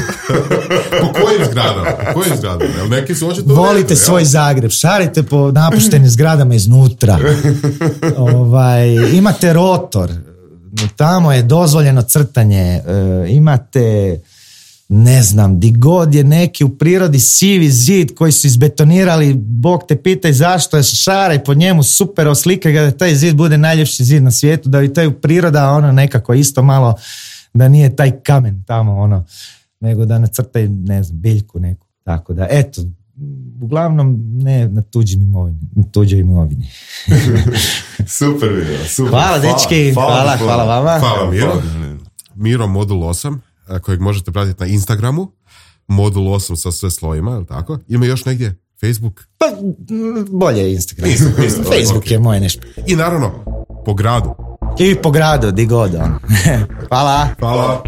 Po kojim zgradama? Po kojim zgradama? Neki su očito volite redu, svoj ja? Zagreb. Šarite po napuštenim zgradama iznutra. ovaj, imate rotor. Tamo je dozvoljeno crtanje. E, imate, ne znam, di god je neki u prirodi sivi zid koji su izbetonirali, Bog te pitaj zašto je, šaraj po njemu, super, oslikaj ga da taj zid bude najljepši zid na svijetu, da i taj priroda ono nekako isto malo, da nije taj kamen tamo ono, nego da nacrtaj, ne znam, biljku neku. Tako da, eto, uglavnom ne na tuđim imovini, na tuđoj imovini. Super video, super. Hvala, dečki, hvala, hvala, hvala vama. Hvala Miro. Miro Modul osam, kojeg možete pratiti na Instagramu. Modul osam sa sve slovima, je li tako? Ima još negdje? Facebook? Pa, bolje je Instagram. Facebook okay. je moje nešto. I naravno, po gradu. I po gradu, di god on. Hvala. Hvala.